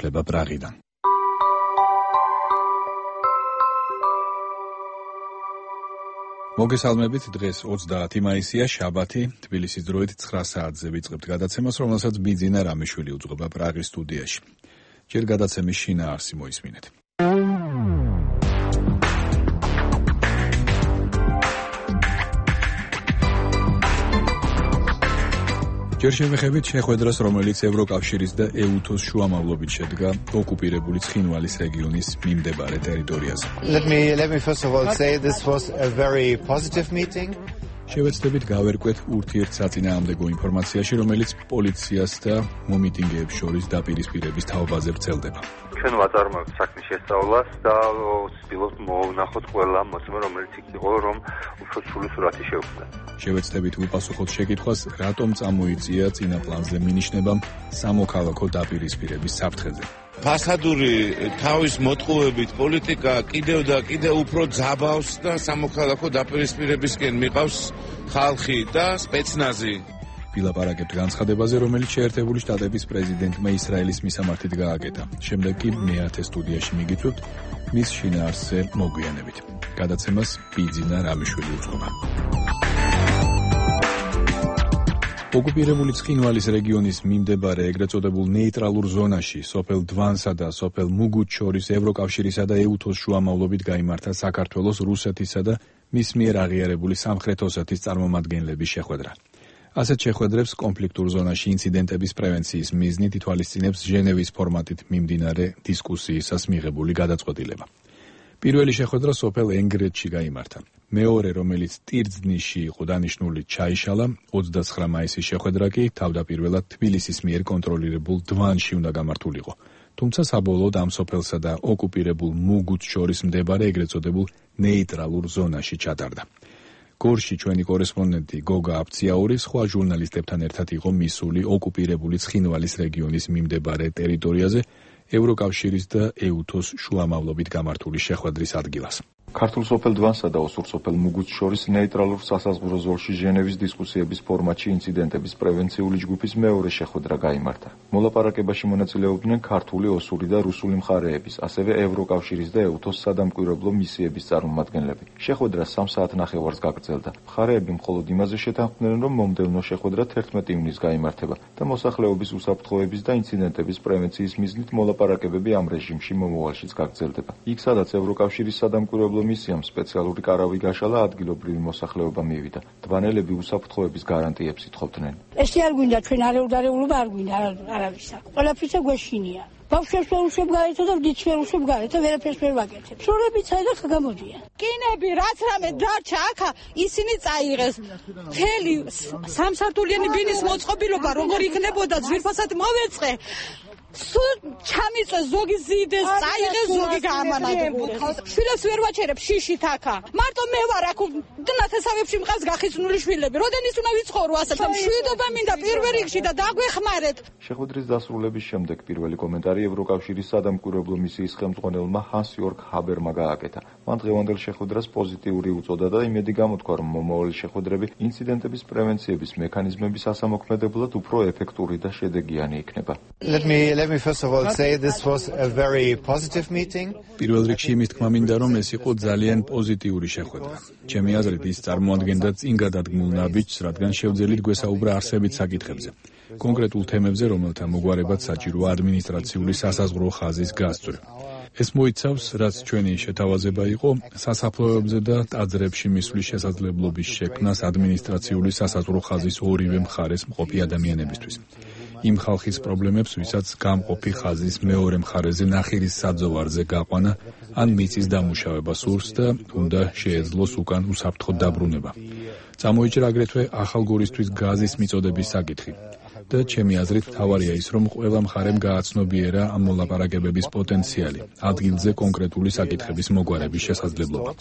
განმარტება პრაღიდან. მოგესალმებით, დღეს 30 მაისია, შაბათი, თბილისის დროით 9 საათზე ვიწყებთ გადაცემას, რომელსაც ბიძინა რამიშვილი უძღვება პრაღის სტუდიაში. ჯერ გადაცემის შინაარსი მოისმინეთ. ჯერ შევეხებით შეხვედრას, რომელიც ევროკავშირის და EUTOS შუამავლობით შედგა ოკუპირებული ცხინვალის რეგიონის მიმდებარე ტერიტორიაზე. Let me first of all say this was a very positive meeting. შევეცდებით გავერკვეთ ურთიერთსაწინააღმდეგო ინფორმაციაში, რომელიც პოლიციას და მომიტინგეებს შორის დაპირისპირების თაობაზე ვრცელდება. ჩვენ ვაწარმოებთ საქმის შესწავლას და ვცდილობთ მოვვნახოთ ყველა მოსმენ, რომელიც იქ იყო, რომ უფრო სრული სურათი შევქმნათ. შევეცდებით უპასუხოთ შეკითხვას, რატომ წამოიწია წინა პლანზე მინიშნებამ სამოქალაქო დაპირისპირების საფრთხეზე. ფასადური თავის მოტყუებით პოლიტიკა კიდევ და კიდევ უფრო ძაბავს და სამოქალაქო დაპირისპირებისკენ მიყავს ხალხი და სპეცნაზი. ვილაპარაკებთ განცხადებაზე, რომელიც შეერთებული შტატების პრეზიდენტმა ისრაელის მისამართით გააკეთა. შემდეგ კი მეათე სტუდიაში მიგიწვევთ მის შინაარსზე მოგვიანებით. გადაცემას ბიძინა რამიშვილი უძღვება. ოკუპირებული ცხინვალის რეგიონის მიმდებარე ეგრეთ წოდებულ ნეიტრალურ ზონაში სოფელ დვანსა და სოფელ მუგუჩ შორის ევროკავშირისა და EUTOS შუამავლობით გაიმართა საქართველოს, რუსეთისა და მის მიერ აღიარებული სამხრეთ ოსეთის წარმომადგენლების შეხვედრა. ასეთ შეხვედრებს კონფლიქტურ ზონაში ინციდენტების პრევენციის მიზნით ითვალისწინებს ჟენევის ფორმატით მიმდინარე დისკუსიისას მიღებული გადაწყვეტილება. პირველი შეხვედრა სოფელ ენგრეთში გაიმართა. მეორე, რომელიც ტირძნიში იყო დანიშნული, ჩაიშალა. 29 მაისის შეხვედრა კი თავდაპირველად თბილისის მიერ კონტროლირებულ დვანში უნდა გამართულიყო. თუმცა საბოლოოდ ამ სოფელსა და ოკუპირებულ მუგუჩ შორის მდებარე ეგრეთ წოდებულ ნეიტრალურ ზონაში ჩატარდა. გორში ჩვენი კორესპონდენტი გოგა აფციაური სხვა ჟურნალისტებთან ერთად იყო მისული ოკუპირებული ცხინვალის რეგიონის მიმდებარე ტერიტორიაზე ევროკავშირის და EUTOS შუამავლობით გამართული შეხვედრის ადგილას. ქართულ სოფელ დვანსა და ოსურ სოფელ მუგუჩ შორის ნეიტრალურ სასაზღვრო ზოლში ჟენევის დისკუსიების ფორმატში ინციდენტების პრევენციული ჯგუფის მეორე შეხვედრა გაიმართა. მოლაპარაკებაში მონაწილეობდნენ ქართული, ოსური და რუსული მხარეების, ასევე ევროკავშირის და EUTOS სადამკვირვებლო მისიების წარმომადგენლები. შეხვედრა 3 საათნახევარს გაგრძელდა. მხარეები მხოლოდ იმაზე შეთანხმდნენ, რომ მომდევნო შეხვედრა 11 ივნისს გაიმართება და მოსახლეობის უსაფრთხოების და ინციდენტების პრევენციის მიზნით მოლაპარაკებები ამ რეჟიმში მომავალშიც გაგრძელდება. იქ, სადაც ევროკავშირის სადამკვირვებლო მისიამ სპეციალური კარავი გაშალა, ადგილობრივი მოსახლეობა მივიდა. დვანელები უსაფრთხოების გარანტიებს ითხოვდნენ. ესე არ გვინდა ჩვენ არეულობა არ გვინდა არავისა. ყველაფრისა გვეშინია. ბავშვებს ვერ უშვებ გარეთა და ვდიც ვერ უშვებ გარეთა, ვერაფერს ვერ ვაკეთებ. შორებით საერთოდ ხა გამოდიან. კინები რაც რამე დარჩა აქა, ისინი წაიღეს. მთელი სამსართულიანი ბინის მოწყობილობა როგორ იქნებოდა ძვირფასად მოვეწყე. სულ ჩამიწვე ზოგი ზიდეს, წაიღეს ზოგი გაამანადგურეს. შვილებს ვერ ვაჩერებ შიშით აქა. მარტო მე ვარ აქ ნათესავებში მყავს გახიზნული შვილები. როდენის უნდა ვიცხოვრო ასეთ მშვიდობა მინდა პირველ რიგში და დაგვეხმარეთ. შეხვედრის დასრულების შემდეგ პირველი კომენტარი ევროკავშირის სადამკვირვებლო მისიის ხელმძღვანელმა ჰანს-იორგ ჰაბერმა გააკეთა. მან დღევანდელ შეხვედრას პოზიტიური უწოდა და იმედი გამოთქვა, რომ მომავალი შეხვედრები ინციდენტების პრევენციების მექანიზმების ასამოქმედებლად უფრო ეფექტური და შედეგიანი იქნება. Let me first of all say this was a very positive meeting. პირველ რიგში იმის თქმა მინდა, რომ ეს იყო ძალიან პოზიტიური შეხვედრა. ჩემი აზრით ის წარმოადგენდა წინ გადადგმულ ნაბიჯს, რადგან შევძელით გვესაუბრა არსებით საკითხებზე. კონკრეტულ თემებზე, რომელთა მოგვარებად საჭიროა ადმინისტრაციული სასაზღვრო ხაზის გასწვრივ. ეს მოიცავს, რაც ჩვენი შეთავაზება იყო, სასაფლაოებზე და ტაძრებში მისვლის შესაძლებლობის შექმნას ადმინისტრაციული სასაზღვრო ხაზის ორივე მხარეს მყოფი ადამიანებისთვის. იმ ხალხის პრობლემებს, ვისაც გამყოფი ხაზის მეორე მხარეზე ნახირის საძოვარზე გაყვანა ან მიწის დამუშავება სურს და უნდა შეეძლოს უკან უსაფრთხოდ დაბრუნება. წამოიჭრა აგრეთვე ახალგორისთვის გაზის მიწოდების საკითხი. და ჩემი აზრით მთავარია ის, რომ ყველა მხარემ გააცნობიერა ამ მოლაპარაკებების პოტენციალი, ადგილზე კონკრეტული საკითხების მოგვარების შესაძლებლობა.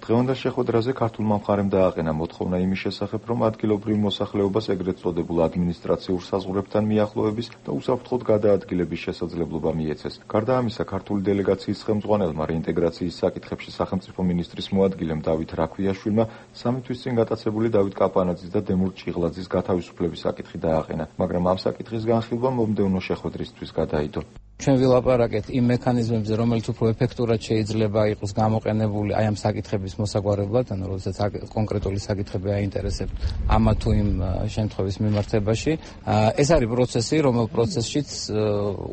დღევანდელ შეხვედრაზე ქართულმა მხარემ დააყენა მოთხოვნა იმის შესახებ, რომ ადგილობრივ მოსახლეობას ეგრეთ წოდებულ ადმინისტრაციულ საზღვრებთან მიახლოების და უსაფრთხოდ გადაადგილების შესაძლებლობა მიეცეს. გარდა ამისა, ქართული დელეგაციის ხელმძღვანელმა რეინტეგრაციის საკითხებში სახელმწიფო მინისტრის მოადგილემ დავით რაქვიაშვილმა 3 თვის წინ გატაცებული დავით კაპანაძის და დემურ ჭიღლაძის გათავისუფლების საკითხი დააყენა, მაგრამ ამ საკითხის განხილვა მომდევნო შეხვედრისთვის გადაიდო. ჩვენ ვილაპარაკეთ იმ მექანიზმებზე, რომელიც უფრო ეფექტურად შეიძლება იყოს გამოყენებული აი ამ საკითხების მოსაგვარებლად, ანუ როდესაც კონკრეტული საკითხები აინტერესებთ ამა თუ იმ შემთხვევის მიმართებაში. ეს არის პროცესი, რომელ პროცესშიც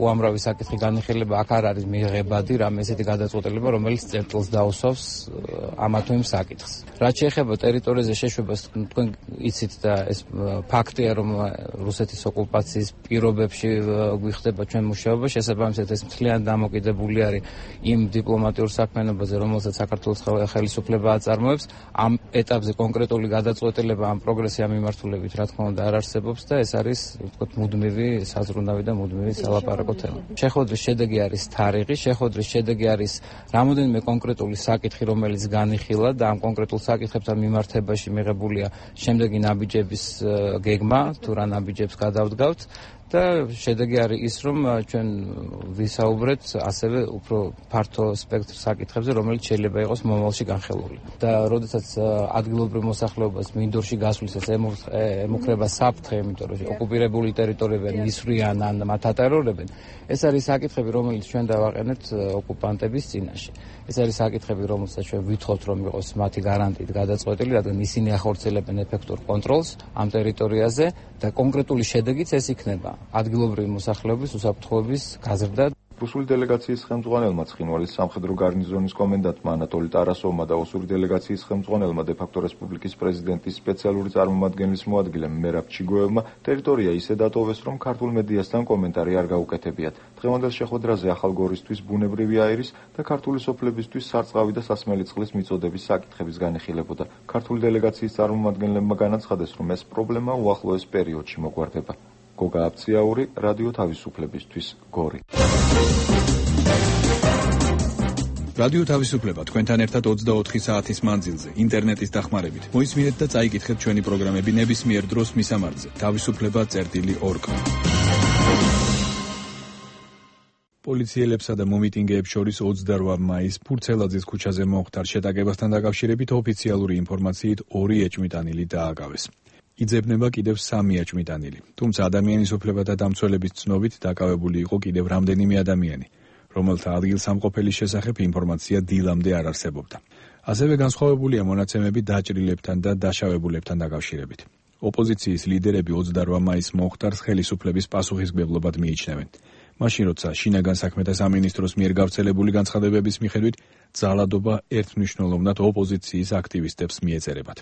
უამრავი საკითხი განიხილება, აქ არ არის მიღებადი რამე ესეთი გადაწყვეტილება, რომელიც წერტილს დაუსვავს ამა თუ იმ საკითხს. რაც შეეხება ტერიტორიაზე შეშვებას, თქვენ იცით და ეს ფაქტია, რომ რუსეთის ოკუპაციის პირობებში გვიხდება ჩვენ მუშაობა, შესაბამისად ეს მთლიანად დამოკიდებული არის იმ დიპლომატიურ საქმიანობაზე, რომელსაც საქართველოს ხელისუფლება აწარმოებს. ამ ეტაპზე კონკრეტული გადაწყვეტილება ამ პროგრესი ამ მიმართულებით რა თქმა უნდა არ არსებობს და ეს არის ვთქვათ მუდმივი საზრუნავი და მუდმივი სალაპარაკო თემა. შეხვედრის შედეგი არის თარიღი, შეხვედრის შედეგი არის რამოდენიმე კონკრეტული საკითხი, რომელიც განიხილა და ამ კონკრეტულ საკითხებთან მიმართებაში მიღებულია შემდეგი ნაბიჯების გეგმა, თუ რა ნაბიჯებს გადავდგავთ. და შედეგი არის ის, რომ ჩვენ ვისაუბრეთ ასევე უფრო ფართო სპექტრ საკითხებზე, რომელიც შეიძლება იყოს მომავალში განხილული. და როდესაც ადგილობრივ მოსახლეობას მინდორში გასვლისას ემუქრება საფრთხე, იმიტომ რომ ოკუპირებული ტერიტორიები მისვრიან ან მათ ატარებენ, ეს არის საკითხები, რომელიც ჩვენ დავაყენეთ ოკუპანტების წინაშე. ეს არის საკითხები, რომელსაც ჩვენ ვითხოვთ, რომ იყოს მათი გარანტიით გადაწყვეტილი, რადგან ისინი ახორციელებენ ეფექტურ კონტროლს ამ ტერიტორიაზე და კონკრეტული შედეგიც ეს იქნება. ადგილობრივი მოსახლეობის უსაფრთხოების გაზრდა. რუსული დელეგაციის ხელმძღვანელმა ცხინვალის სამხედრო გარნიზონის კომენდანტმა ანატოლი ტარასოვმა და ოსური დელეგაციის ხელმძღვანელმა დე-ფაქტო რესპუბლიკის პრეზიდენტის სპეციალური წარმომადგენლის მოადგილემ მერაბ ჩიგოევმა ტერიტორია ისე დატოვეს, რომ ქართულ მედიასთან კომენტარი არ გაუკეთებიათ. დღევანდელ შეხვედრაზე ახალგორისთვის ბუნებრივი აირის და ქართული სოფლებისთვის სარწყავი და სასმელი წყლის მიწოდების საკითხების განიხილებოდა. ქართული დელეგაციის წარმომადგენლებმა განაცხადეს, რომ ეს პრობლემა უახლოეს პერიოდში მოგვარდება. გოგა აბციაური, რადიო თავისუფლებისთვის, გორი. რადიო თავისუფლება თქვენთან ერთად 24 საათის მანძილზე, ინტერნეტის დახმარებით. მოისმინეთ და წაიკითხეთ ჩვენი პროგრამები ნებისმიერ დროს მისამართზე. თავისუფლება.org. პოლიციელებსა და მომიტინგეებს შორის 28 მაისს ფურცელაძის ქუჩაზე მომხდარ შეტაკებასთან დაკავშირებით ოფიციალური ინფორმაციით 2 ეჭვმიტანილი დააკავეს. იძებნება კიდევ 3 ეჭვმიტანილი. თუმცა ადამიანის უფლებათა დამცველების ცნობით დაკავებული იყო კიდევ რამდენიმე ადამიანი, რომელთა ადგილსამყოფელის შესახებ ინფორმაცია დილამდე არ არსებობდა. ასევე განსხვავებულია მონაცემები დაჭრილებთან და დაშავებულებთან დაკავშირებით. ოპოზიციის ლიდერები 28 მაისს მომხდარს ხელისუფლების პასუხისმგებლობად მიიჩნევენ. მაშინ როცა შინაგან საქმეთა სამინისტროს მიერ გავრცელებული განცხადებების მიხედვით ძალადობა ერთმნიშვნელოვნად ოპოზიციის აქტივისტებს მიეწერებათ.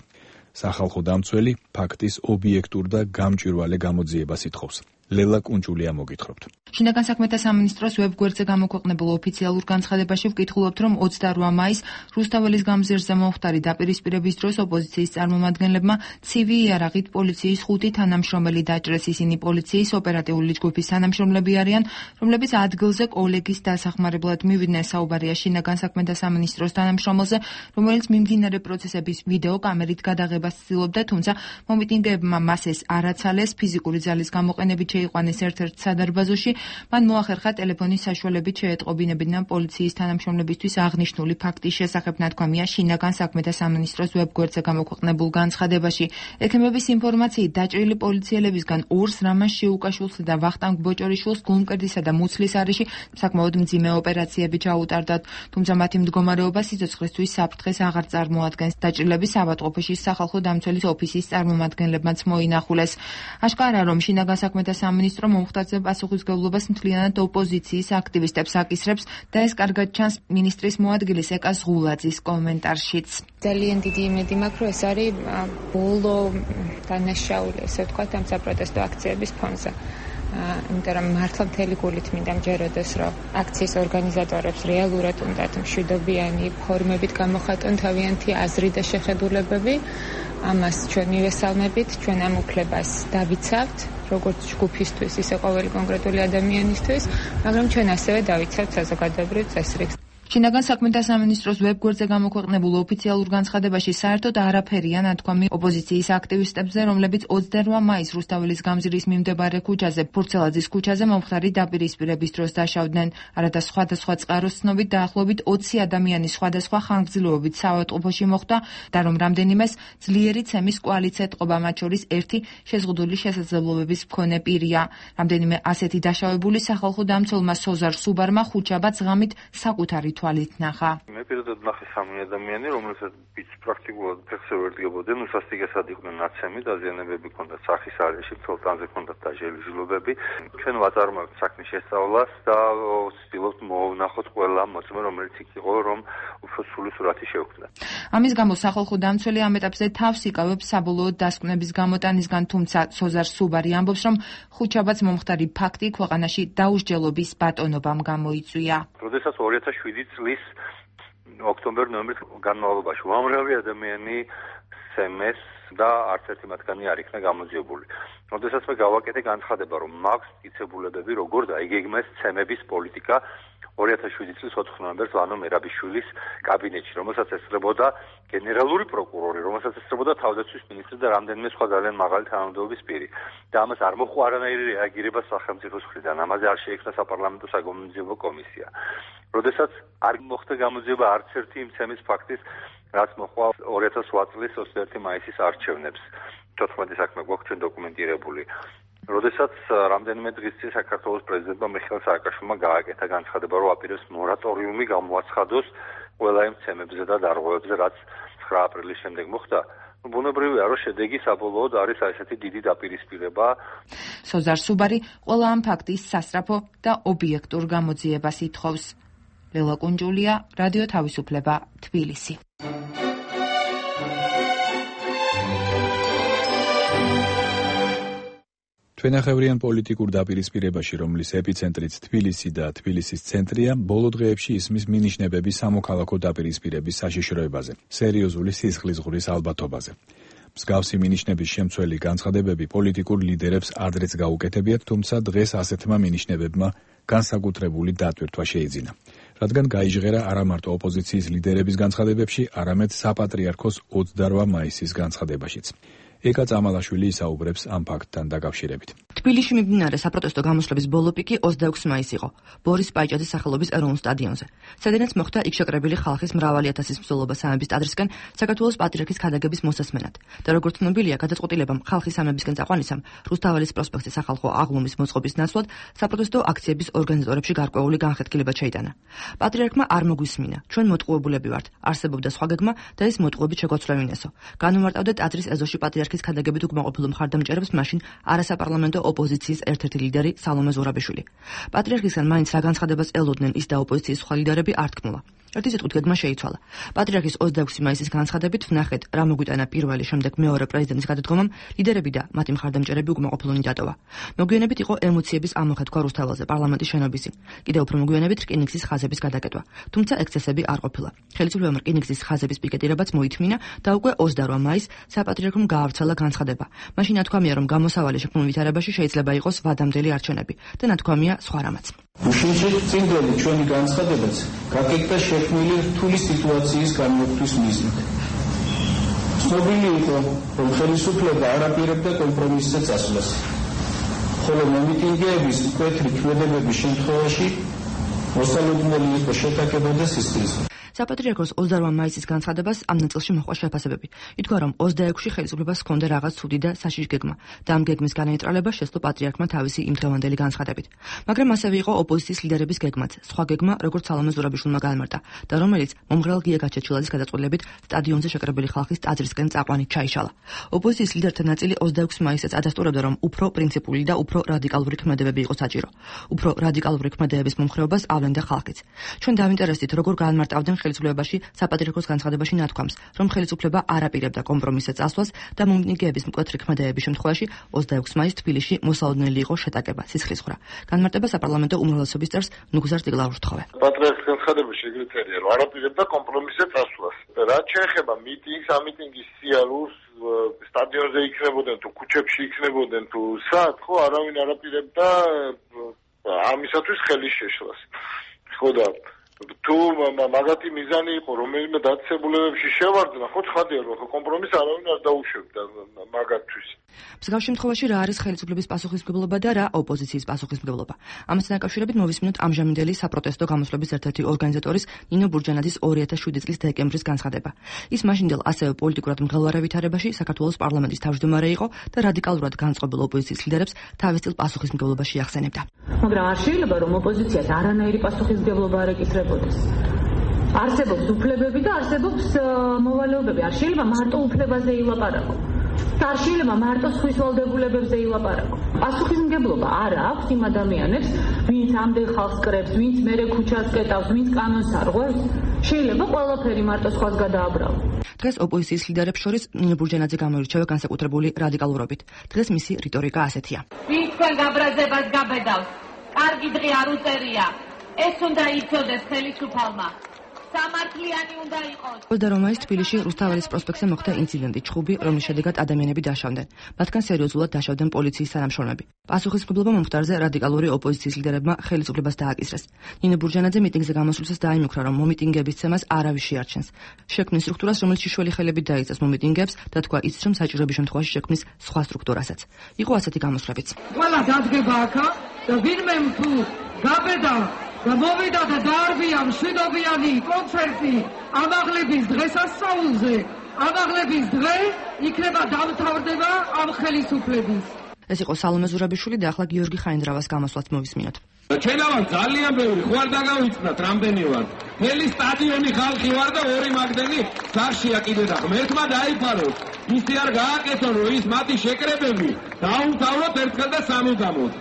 სახალხო დამცველი ფაქტის ობიექტურ და გამჭვირვალე გამოძიებას ითხოვს. ლელა კუნჭულია მოგითხრობთ. შინაგან საქმეთა სამინისტროს ვებგვერდზე გამოქვეყნებულ ოფიციალურ განცხადებაში ვკითხულობთ, რომ 28 მაისს რუსთაველის გამზირზე მომხდარი დაპირისპირების დროს ოპოზიციის წარმომადგენლებმა ცივი იარაღით პოლიციის 5 თანამშრომელი დაჭრეს. ისინი პოლიციის ოპერატიული ჯგუფის თანამშრომლები არიან, რომლებიც ადგილზე კოლეგის დასახმარებლად მივიდნენ. საუბარია შინაგან საქმეთა სამინისტროს თანამშრომელზე, რომელიც მიმდინარე პროცესების ვიდეო კამერით გადაღებას ცდილობდა, თუმცა მომიტინგეებმა მას ეს არ აცალეს. ფიზიკური ძალის გამოყენებით შეიყვანეს ერთ-ერთ სადარბაზოში. მან მოახერხა ტელეფონის საშუალებით შეეტყობინებინა პოლიციის თანამშრომლებისთვის აღნიშნული ფაქტის შესახებ, ნათქვამია შინაგან საქმეთა სამინისტროს ვებგვერდზე გამოქვეყნებულ განცხადებაში. ექიმების ინფორმაციით დაჭრილი პოლიციელებისგან 2-ს რამაზ შეუკაშვილს და ვახტანგ ბოჭორიშვილს გულმკერდისა და მუცლის არეში საკმაოდ მძიმე ოპერაციები ჩაუტარდათ, თუმცა მათი მდგომარეობა სიცოცხლისთვის საფრთხეს აღარ წარმოადგენს. დაჭრილები ავადმყოფოში სახალხო დამცველის ოფისის წარმომადგენლებმაც მოინახულეს. აშკარაა, რომ შინაგან საქმეთა სამინისტრო მომხდარზე პასუხისმგებლობას მთლიანად ოპოზიციის აქტივისტებს აკისრებს და ეს კარგად ჩანს მინისტრის მოადგილის ეკა ზღულაძის კომენტარშიც. ძალიან დიდი იმედი მაქვს, რომ ეს არის ბოლო დანაშაული, ესე ვთქვათ, ამ საპროტესტო აქციების ფონზე. იმიტომ რომ მართლა მთელი გულით მინდა მჯეროდეს, რომ აქციის ორგანიზატორებს რეალურად უნდათ მშვიდობიანი ფორმებით გამოხატონ თავიანთი აზრი და შეხედულებები. ამას ჩვენ მივესალმებით, ჩვენ ამ უფლებას დავიცავთ, როგორც ჯგუფისთვის, ისე ყოველი კონკრეტული ადამიანისთვის, მაგრამ ჩვენ ასევე დავიცავთ საზოგადოებრივ წესრიგს. შინაგან საქმეთა სამინისტროს ვებგვერდზე გამოქვეყნებულ ოფიციალურ განცხადებაში საერთოდ არაფერია ნათქვამი ოპოზიციის აქტივისტებზე, რომლებიც 28 მაისს რუსთაველის გამზირის მიმდებარე ქუჩაზე, ფურცელაძის ქუჩაზე მომხდარი დაპირისპირების დროს დაშავდნენ. არადა სხვადასხვა წყაროს ცნობით დაახლოებით 20 ადამიანი სხვადასხვა ხანგრძლივობით საავადმყოფოში მოხვდა და რომ რამდენიმეს ძლიერი ცემის კოალიცია ეთყობა, მათ შორის ერთი შეზღუდული შესაძლებლობების მქონე პირია. რამდენიმე ასეთი დაშავებული სახალხო დამცველმა სოზარ სუბარმა ხუთშაბათს ღამით საკუთარი თვალით ნახა. მე პირადად ნახე 3 ადამიანი, რომელსაც პრაქტიკულად ფეხზე ვერდგებოდნენ, უსასტიკესად იყვნენ ნაცემი, დაზიანებები ჰქონდათ სახის არეში, ცოლტანზე ჰქონდათ დაჟელი ჟილობები. ჩვენ ვაწარმოებთ საქმის შესწავლას და ვცდილობთ მოვვნახოთ ყველა მოწმე, რომელიც იქ იყო, რომ უფრო სრული სურათი შევქმნათ. ამის გამო სახალხო დამცველი ამ ეტაპზე თავს იკავებს საბოლოოდ დასკვნების გამოტანისგან, თუმცა სოზარ სუბარი ამბობს, რომ ხუთშაბათს მომხდარი ფაქტი ქვეყანაში დაუსჯელობის ბატონობამ გამოიწვია. როდესაც 2007 წლის ოქტომბერ-ნოემბრის განმავლობაში უამრავი ადამიანი სემეს და არც ერთი მათგანი არ იქნა გამოძიებული. როდესაც მე გავაკეთე განცხადება, რომ მაქვს მტკიცებულებები, როგორ დაიგეგმეს ცემების პოლიტიკა 2007 წლის 4 ნოემბერს ლანო მერაბიშვილის კაბინეტში, რომელსაც ესწრებოდა გენერალური პროკურორი, რომელსაც ესწრებოდა თავდაცვის მინისტრი და რამდენიმე სხვა ძალიან მაღალი თანამდებობის პირი. და ამას არ მოხდა არანაირი რეაგირება სახელმწიფოს მხრიდან. ამაზე არ შეიქმნა საპარლამენტო საგამოძიებო კომისია. როდესაც არ მოხდა გამოძიება არც ერთი იმ ცემის ფაქტის, რაც მოხდა 2008 წლის 21 მაისის არჩევნებს. 14 საქმე გვაქვს ჩვენ დოკუმენტირებული. როდესაც რამდენიმე დღის წინ საქართველოს პრეზიდენტმა მიხეილ სააკაშვილმა გააკეთა განცხადება, რომ აპირებს მორატორიუმი გამოაცხადოს ყველა იმ ცემებზე და დარღვევებზე, რაც 9 აპრილის შემდეგ მოხდა. ბუნებრივია, რომ შედეგი საბოლოოდ არის ესეთი დიდი დაპირისპირება. სოზარ სუბარი ყველა ამ ფაქტის სასწრაფო და ობიექტურ გამოძიებას ითხოვს. ლელა კუნჯულია, რადიო თავისუფლება, თბილისი. ჩვენახევრიან პოლიტიკურ დაპირისპირებაში, რომლის ეპიცენტრიც თბილისი და თბილისის ცენტრია, ბოლო დღეებში ისმის მინიშნებები სამოქალაქო დაპირისპირების საშიშროებაზე, სერიოზული სისხლისღვრის ალბათობაზე. მსგავსი მინიშნების შემცველი განცხადებები პოლიტიკურ ლიდერებს ადრეც გაუკეთებიათ, თუმცა დღეს ასეთმა მინიშნებებმა განსაკუთრებული დატვირთვა შეიძინა. რადგან გაიჟღერა არა მარტო ოპოზიციის ლიდერების განცხადებებში, არამედ საპატრიარქოს 28 მაისის განცხადებაშიც. ეკა წამალაშვილი ისაუბრებს ამ ფაქტთან დაკავშირებით. თბილისში მიმდინარე საპროტესტო გამოსვლების ბოლო პიკი 26 მაისს იყო, ბორის პაიჭაძის სახელობის ეროვნულ სტადიონზე. სადაც მოხდა იქ შეკრებილი ხალხის მრავალი ათასის მსვლელობა სამების ტაძრისკენ საქართველოს პატრიარქის ქადაგების მოსასმენად. და როგორც ცნობილია, გადაწყვეტილებამ ხალხის სამებისკენ წაყვანისამ რუსთაველის პროსპექტის სახალხო აღლუმის მოწყობის ნაცვლად საპროტესტო აქციების ორგანიზატორებში გარკვეული განხეთქილება შეიტანა. პატრიარქმა არ მოგვისმინა, ჩვენ მოტყუებულები ვართ, არსებობდა სხვა გეგმა და ეს მოტყუებით შეგვაცვლევინესო. განუმარტავდა ტაძრის ეზოში პატრიარქის ქადაგებით უკმაყოფილ მხარდამჭერებს მაშინ არასაპარლამენტო ოპოზიციის ერთ-ერთი ლიდერი სალომე ზურაბიშვილი. პატრიარქისგან მაინც რა განცხადებას ელოდნენ ის და ოპოზიციის სხვა ლიდერები არ თქმულა. ერთი სიტყვით გეგმა შეიცვალა. პატრიარქის 26 მაისის განცხადებით ვნახეთ, რა მოგვიტანა პირველი, შემდეგ მეორე პრეზიდენტის გადადგომამ, ლიდერები და მათი მხარდამჭერები უკმაყოფილონი დატოვა. მოგვიანებით იყო ემოციების ამოხეთქვა რუსთაველზე პარლამენტის შენობისინ. კიდევ უფრო მოგვიანებით რკინიგზის ხაზების გადაკეტვა. თუმცა ექსცესები არ ყოფილა. ხელისუფლებამ რკინიგზის ხაზების პიკეტირებაც მოითმინა და უკვე 28 მაისს საპატრიარქომ გაავრცელა განცხადება. მაშინ ნათქვამია, რომ გამოსავალი შექმნილ ვითარებაში შეიძლება იყოს ვადამდელი არჩევნები და ნათქვამია სხვა რამაც. უშიშრით წინდელი ჩვენი განცხადებაც გაკეთდა შექმნილი რთული სიტუაციის გამოხვის მიზნით. ცნობილი იყო, რომ ხელისუფლება არ აპირებდა კომპრომისზე წასვლას, ხოლო მომიტინგეების მკვეთრი ქმედებების შემთხვევაში მოსალოდნელი იყო შეთანხმება და სისხლისღვრა. საპატრიარქოს 28 მაისის განცხადებას ამ ნაწილში მოჰყვა შეფასებები. ითქვა, რომ 26-ში ხელისუფლებას ჰქონდა რაღაც ცუდი და საშიში გეგმა და ამ გეგმის განეიტრალება შეძლო პატრიარქმა თავისი იმდრევანდელი განცხადებით. მაგრამ ასევე იყო ოპოზიციის ლიდერების გეგმაც, სხვა გეგმა, როგორც სალომე ზურაბიშვილმა გაამარტა და რომელიც მომღრალ გია გაჩეჩილაძის გადაწყვეტილებით სტადიონზე შეკრებილი ხალხის ტაძრისკენ წაყვანით ჩაიშალა. ოპოზიციის ლიდერთა ნაწილი 26 მაისსაც ადასტურებდა, რომ უფრო პრინციპული და უფრო რადიკალური ქმედებები იყო საჭირო. უფრო რადიკალური ქმედებების მომხრეობას ავლენდა ხალხიც. ჩვენ დავინტერესდით, როგორ გაამარტავდნენ ხელისუფლებაში საპატრიარქოს განცხადებაში ნათქვამს, რომ ხელისუფლება არ აპირებდა კომპრომისზე წასვლას და მომიტინგეების მკვეთრი ქმედებების შემთხვევაში 26 მაისს თბილისში მოსალოდნელი იყო შეტაკება, სისხლისღვრა. განმარტება საპარლამენტო უმრავლესობის წევრს ნუგზარ ტიგლაურს თხოვე. პატრიარქის განცხადებაში ეგრეთია, რომ არ აპირებდა კომპრომისზე წასვლას. რაც შეეხება მიტინგს, ამ მიტინგის სიარულს, სტადიონზე იქნებოდნენ თუ ქუჩებში იქნებოდნენ თუ სად, ხო, არავინ არ აპირებდა ამისათვის ხელის შეშლას. ხო და თუ მაგათი მიზანი იყო რომელიმე დაწესებულებებში შევარდნა, ხო ცხადია რომ კომპრომისს არავინ არ დაუშვებდა მაგათთვის. მსგავს შემთხვევაში რა არის ხელისუფლების პასუხისმგებლობა და რა ოპოზიციის პასუხისმგებლობა? ამასთან დაკავშირებით მოვისმინოთ ამჟამინდელი საპროტესტო გამოსვლების ერთ-ერთი ორგანიზატორის ნინო ბურჯანაძის 2007 წლის დეკემბრის განცხადება. ის მაშინდელ ასევე პოლიტიკურად მღელვარე ვითარებაში საქართველოს პარლამენტის თავმჯდომარე იყო და რადიკალურად განწყობილ ოპოზიციის ლიდერებს თავის წილ პასუხისმგებლობაში ახსენებდა. მაგრამ არ შეიძლება რომ ოპოზიციას არანაირი პასუხისმგებლობა არ ეკისრებოდეს. არსებობს უფლებები და არსებობს მოვალეობები. არ შეიძლება მარტო უფლებაზე ილაპარაკო. და არ შეიძლება მარტო სხვის ვალდებულებებზე ილაპარაკო. პასუხისმგებლობა არ აქვს იმ ადამიანებს, ვინც ამდენ ხალხს კრებს, ვინც მერე ქუჩას კეტავს, ვინც კანონს არღვევს. შეიძლება ყველაფერი მარტო სხვას გადააბრალოს. დღეს ოპოზიციის ლიდერებს შორის ნინო ბურჯანაძე გამოირჩევა განსაკუთრებული რადიკალურობით. დღეს მისი რიტორიკა ასეთია. ვინც თქვენ გაბრაზებას გაბედავს, კარგი დღე არ უწერია. ეს უნდა იცოდეს ხელისუფალმა. სამართლიანი უნდა იყოს. 20 მაისს თბილისში რუსთაველის პროსპექტზე მოხდა ინციდენტი, ჩხუბი, რომლის შედეგად ადამიანები დაშავდნენ. მათგან სერიოზულად დაშავდნენ პოლიციის თანამშრომლები. პასუხისმგებლობა მომხდარზე რადიკალური ოპოზიციის ლიდერებმა ხელისუფლებას დააკისრეს. ნინო ბურჯანაძე მიტინგზე გამოსვლისას დაიმუქრა, რომ მომიტინგების ცემას არავის შეარჩენს. შექმნის სტრუქტურას, რომელიც შიშველი ხელებით დაიწეს მომიტინგებს და თქვა იცის, რომ საჭიროების შემთხვევაში შექმნის სხვა სტრუქტურასაც. იყო ასეთი გამოსვლებიც. ყველა დადგება აქა და ვინმე თუ გაბედა და მოვიდა და დაარბია მშვიდობიანი კონცერტი ამაღლების დღესასწაულზე. ამაღლების დღე იქნება დამთავრდება ამ ხელისუფლების. ეს იყო სალომე ზურაბიშვილი და ახლა გიორგი ხაინდრავას გამოსვლაც მოვისმინოთ. ჩვენავალ ძალიან ბევრი ხوار დაგავიწყდათ რამდენი ვარ. მთელი სტადიონი ხალხი ვარ და ორი მაგდენი სახშია კიდე და ღმერთმა დაიფაროს. ისი არ გააკეთონ რომ ის მათი შეკრებები დაუმთავროთ ერთხელ და სამუდამოდ.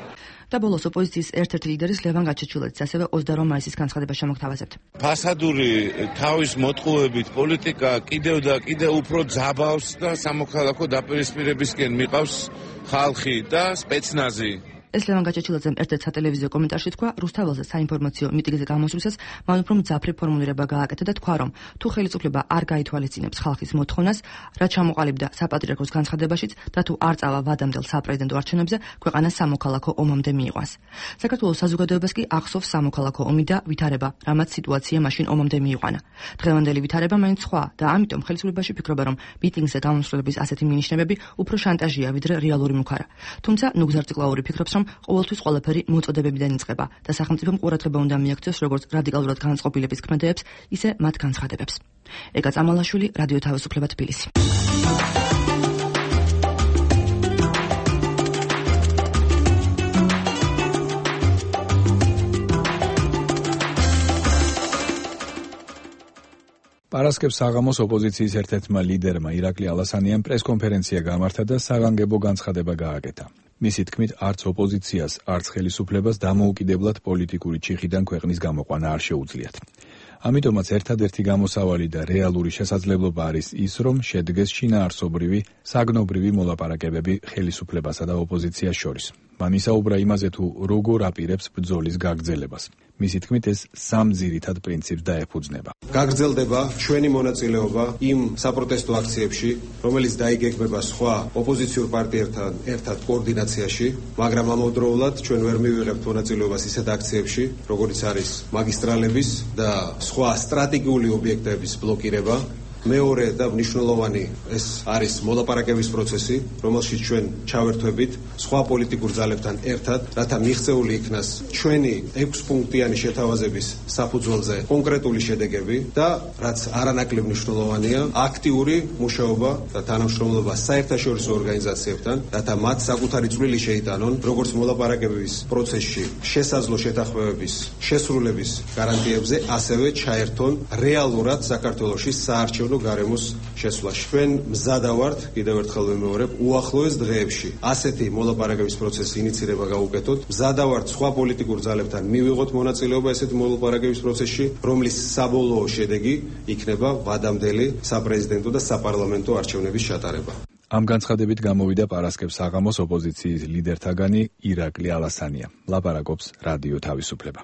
და ბოლოს ოპოზიციის ერთ-ერთი ლიდერის ლევან გაჩეჩილაძის ასევე 28 მაისის განცხადება შემოგთავაზებთ. ფასადური თავის მოტყუებით პოლიტიკა კიდევ და კიდევ უფრო ძაბავს და სამოქალაქო დაპირისპირებისკენ მიყავს ხალხი და სპეცნაზი. ეს ლევან გაჩეჩილაძემ ერთ-ერთ სატელევიზიო კომენტარში თქვა, რუსთაველზე საინფორმაციო მიტინგზე გამოსვლისას მან უფრო მძაფრი ფორმულირება გააკეთა და თქვა, რომ თუ ხელისუფლება არ გაითვალისწინებს ხალხის მოთხოვნას, რაც ჩამოყალიბდა საპატრიარქოს განცხადებაშიც და თუ არ წავა ვადამდელ საპრეზიდენტო არჩევნებზე, ქვეყანა სამოქალაქო ომამდე მიიყვანს. საქართველოს საზოგადოებას კი ახსოვს სამოქალაქო ომი და ვითარება, რამაც სიტუაცია მაშინ ომამდე მიიყვანა. დღევანდელი ვითარება მაინც სხვა და ამიტომ ხელისუფლებაში ფიქრობა, რომ მიტინგზე გამოსვლების ასეთი მინიშნებები უფრო შანტაჟია, ვიდრე რეალური მუქარა. თუმცა ნუგზარ ციკლაური ფიქრობს, რომ ყოველთვის ყველაფერი მოწოდებებიდან იწყება და სახელმწიფომ ყურადღება უნდა მიაქციოს როგორც რადიკალურად განწყობილების ქმედებს, ისე მათ განცხადებებს. ეგა წამალაშვილი, რადიო თავისუფლება თბილისი. პარასკევს საღამოს ოპოზიციის ერთ-ერთმა ლიდერმა ირაკლი ალასანიამ პრესკონფერენცია გამართა და საგანგებო განცხადება გააკეთა. მისი თქმით, არც ოპოზიციას, არც ხელისუფლებას დამოუკიდებლად პოლიტიკური ჩიხიდან ქვეყნის გამოყვანა არ შეუძლიათ. ამიტომაც ერთადერთი გამოსავალი და რეალური შესაძლებლობა არის ის, რომ შედგეს შინაარსობრივი, საგნობრივი მოლაპარაკებები ხელისუფლებასა და ოპოზიციას შორის. მან ისაუბრა იმაზე, თუ როგორ აპირებს ბრძოლის გაგრძელებას. მისი თქმით, ეს სამ ძირითად პრინციპს დაეფუძნება. გაგრძელდება ჩვენი მონაწილეობა იმ საპროტესტო აქციებში, რომელიც დაიგეგმება სხვა ოპოზიციურ პარტიებთან ერთად კოორდინაციაში, მაგრამ ამავდროულად ჩვენ ვერ მივიღებთ მონაწილეობას ისეთ აქციებში, როგორიც არის მაგისტრალების და სხვა სტრატეგიული ობიექტების ბლოკირება. მეორე და მნიშვნელოვანი ეს არის მოლაპარაკების პროცესი, რომელშიც ჩვენ ჩავერთვებით სხვა პოლიტიკურ ძალებთან ერთად, რათა მიღწეული იქნას ჩვენი 6 პუნქტიანი შეთავაზების საფუძველზე კონკრეტული შედეგები და რაც არანაკლებ მნიშვნელოვანია, აქტიური მუშაობა და თანამშრომლობა საერთაშორისო ორგანიზაციებთან, რათა მათ საკუთარი წვლილი შეიტანონ როგორც მოლაპარაკების პროცესში შესაძლო შეთანხმებების შესრულების გარანტიებზე, ასევე ჩაერთონ რეალურად საქართველოში საარჩევნო გარემოს შესვლაში. ჩვენ მზადა ვართ, კიდევ ერთხელ ვიმეორებ, უახლოეს დღეებში ასეთი მოლაპარაკების პროცესის ინიცირება გაუკეთოთ. მზადა ვართ სხვა პოლიტიკურ ძალებთან მივიღოთ მონაწილეობა ესეთი მოლაპარაკების პროცესში, რომლის საბოლოო შედეგი იქნება ვადამდელი საპრეზიდენტო და საპარლამენტო არჩევნების ჩატარება. ამ განცხადებით გამოვიდა პარასკევს საღამოს ოპოზიციის ლიდერთაგანი ირაკლი ალასანია. ლაპარაკობს რადიო თავისუფლება.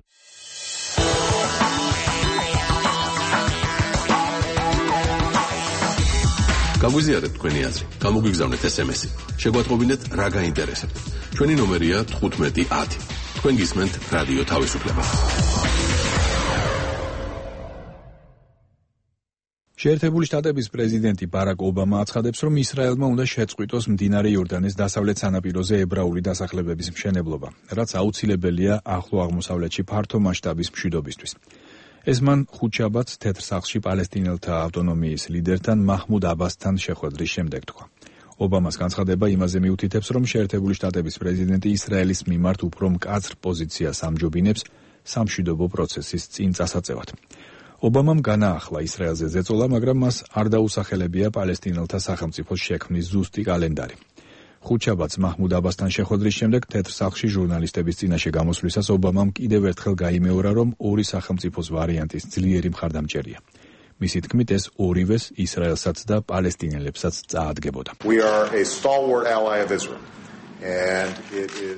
გაგვიზიარეთ თქვენი აზრი, გამოგვიგზავნეთ SMS-ი. შეგვატყობინეთ რა გაინტერესებთ. ჩვენი ნომერია 1510. თქვენ გისმენთ რადიო თავისუფლება. შეერთებული შტატების პრეზიდენტი ბარაკ ობამა აცხადებს, რომ ისრაელმა უნდა შეწყვიტოს მდინარე იორდანეს დასავლეთ სანაპიროზე ებრაული დასახლებების მშენებლობა, რაც აუცილებელია ახლო აღმოსავლეთში ფართო მასშტაბის მშვიდობისთვის. ეს მან ხუთშაბათს თეთრ სახლში პალესტინელთა ავტონომიის ლიდერთან მაჰმუდ აბასთან შეხვედრის შემდეგ თქვა. ობამას განცხადება იმაზე მიუთითებს, რომ შეერთებული შტატების პრეზიდენტი ისრაელის მიმართ უფრო მკაცრ პოზიციას ამჯობინებს სამშვიდობო პროცესის წინ წასაწევად. ობამამ განაახლა ისრაელზე ზეწოლა, მაგრამ მას არ დაუსახელებია პალესტინელთა სახელმწიფოს შექმნის ზუსტი კალენდარი. ხუთშაბათს მაჰმუდ აბასთან შეხვედრის შემდეგ თეთრ სახლში ჟურნალისტების წინაშე გამოსვლისას ობამამ კიდევ ერთხელ გაიმეორა, რომ ორი სახელმწიფოს ვარიანტის ძლიერი მხარდამჭერია. მისი თქმით, ეს ორივეს ისრაელსაც და პალესტინელებსაც წაადგებოდა.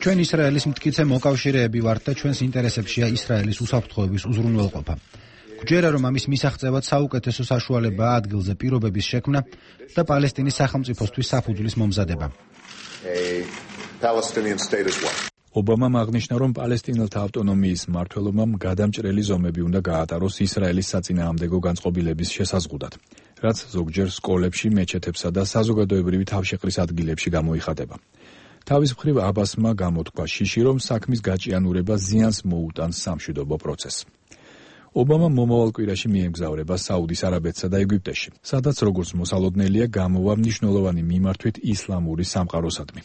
ჩვენ ისრაელის მტკიცე მოკავშირეები ვართ და ჩვენს ინტერესებშია ისრაელის უსაფრთხოების უზრუნველყოფა. გვჯერა, რომ ამის მისაღწევად საუკეთესო საშუალებაა ადგილზე პირობების შექმნა და პალესტინის სახელმწიფოსთვის საფუძვლის მომზადება. ობამამ აღნიშნა, რომ პალესტინელთა ავტონომიის მმართველობამ გადამჭრელი ზომები უნდა გაატაროს ისრაელის საწინააღმდეგო განწყობილების შესაზღუდად, რაც ზოგჯერ სკოლებში, მეჩეთებსა და საზოგადოებრივი თავშეყრის ადგილებში გამოიხატება. თავის მხრივ აბასმა გამოთქვა შიში, რომ საქმის გაჭიანურება ზიანს მოუტანს სამშვიდობო პროცესს. ობამა მომავალ კვირაში მიემგზავრება საუდის არაბეთსა და ეგვიპტეში, სადაც როგორც მოსალოდნელია გამოვა მნიშვნელოვანი მიმართვით ისლამური სამყაროსადმი.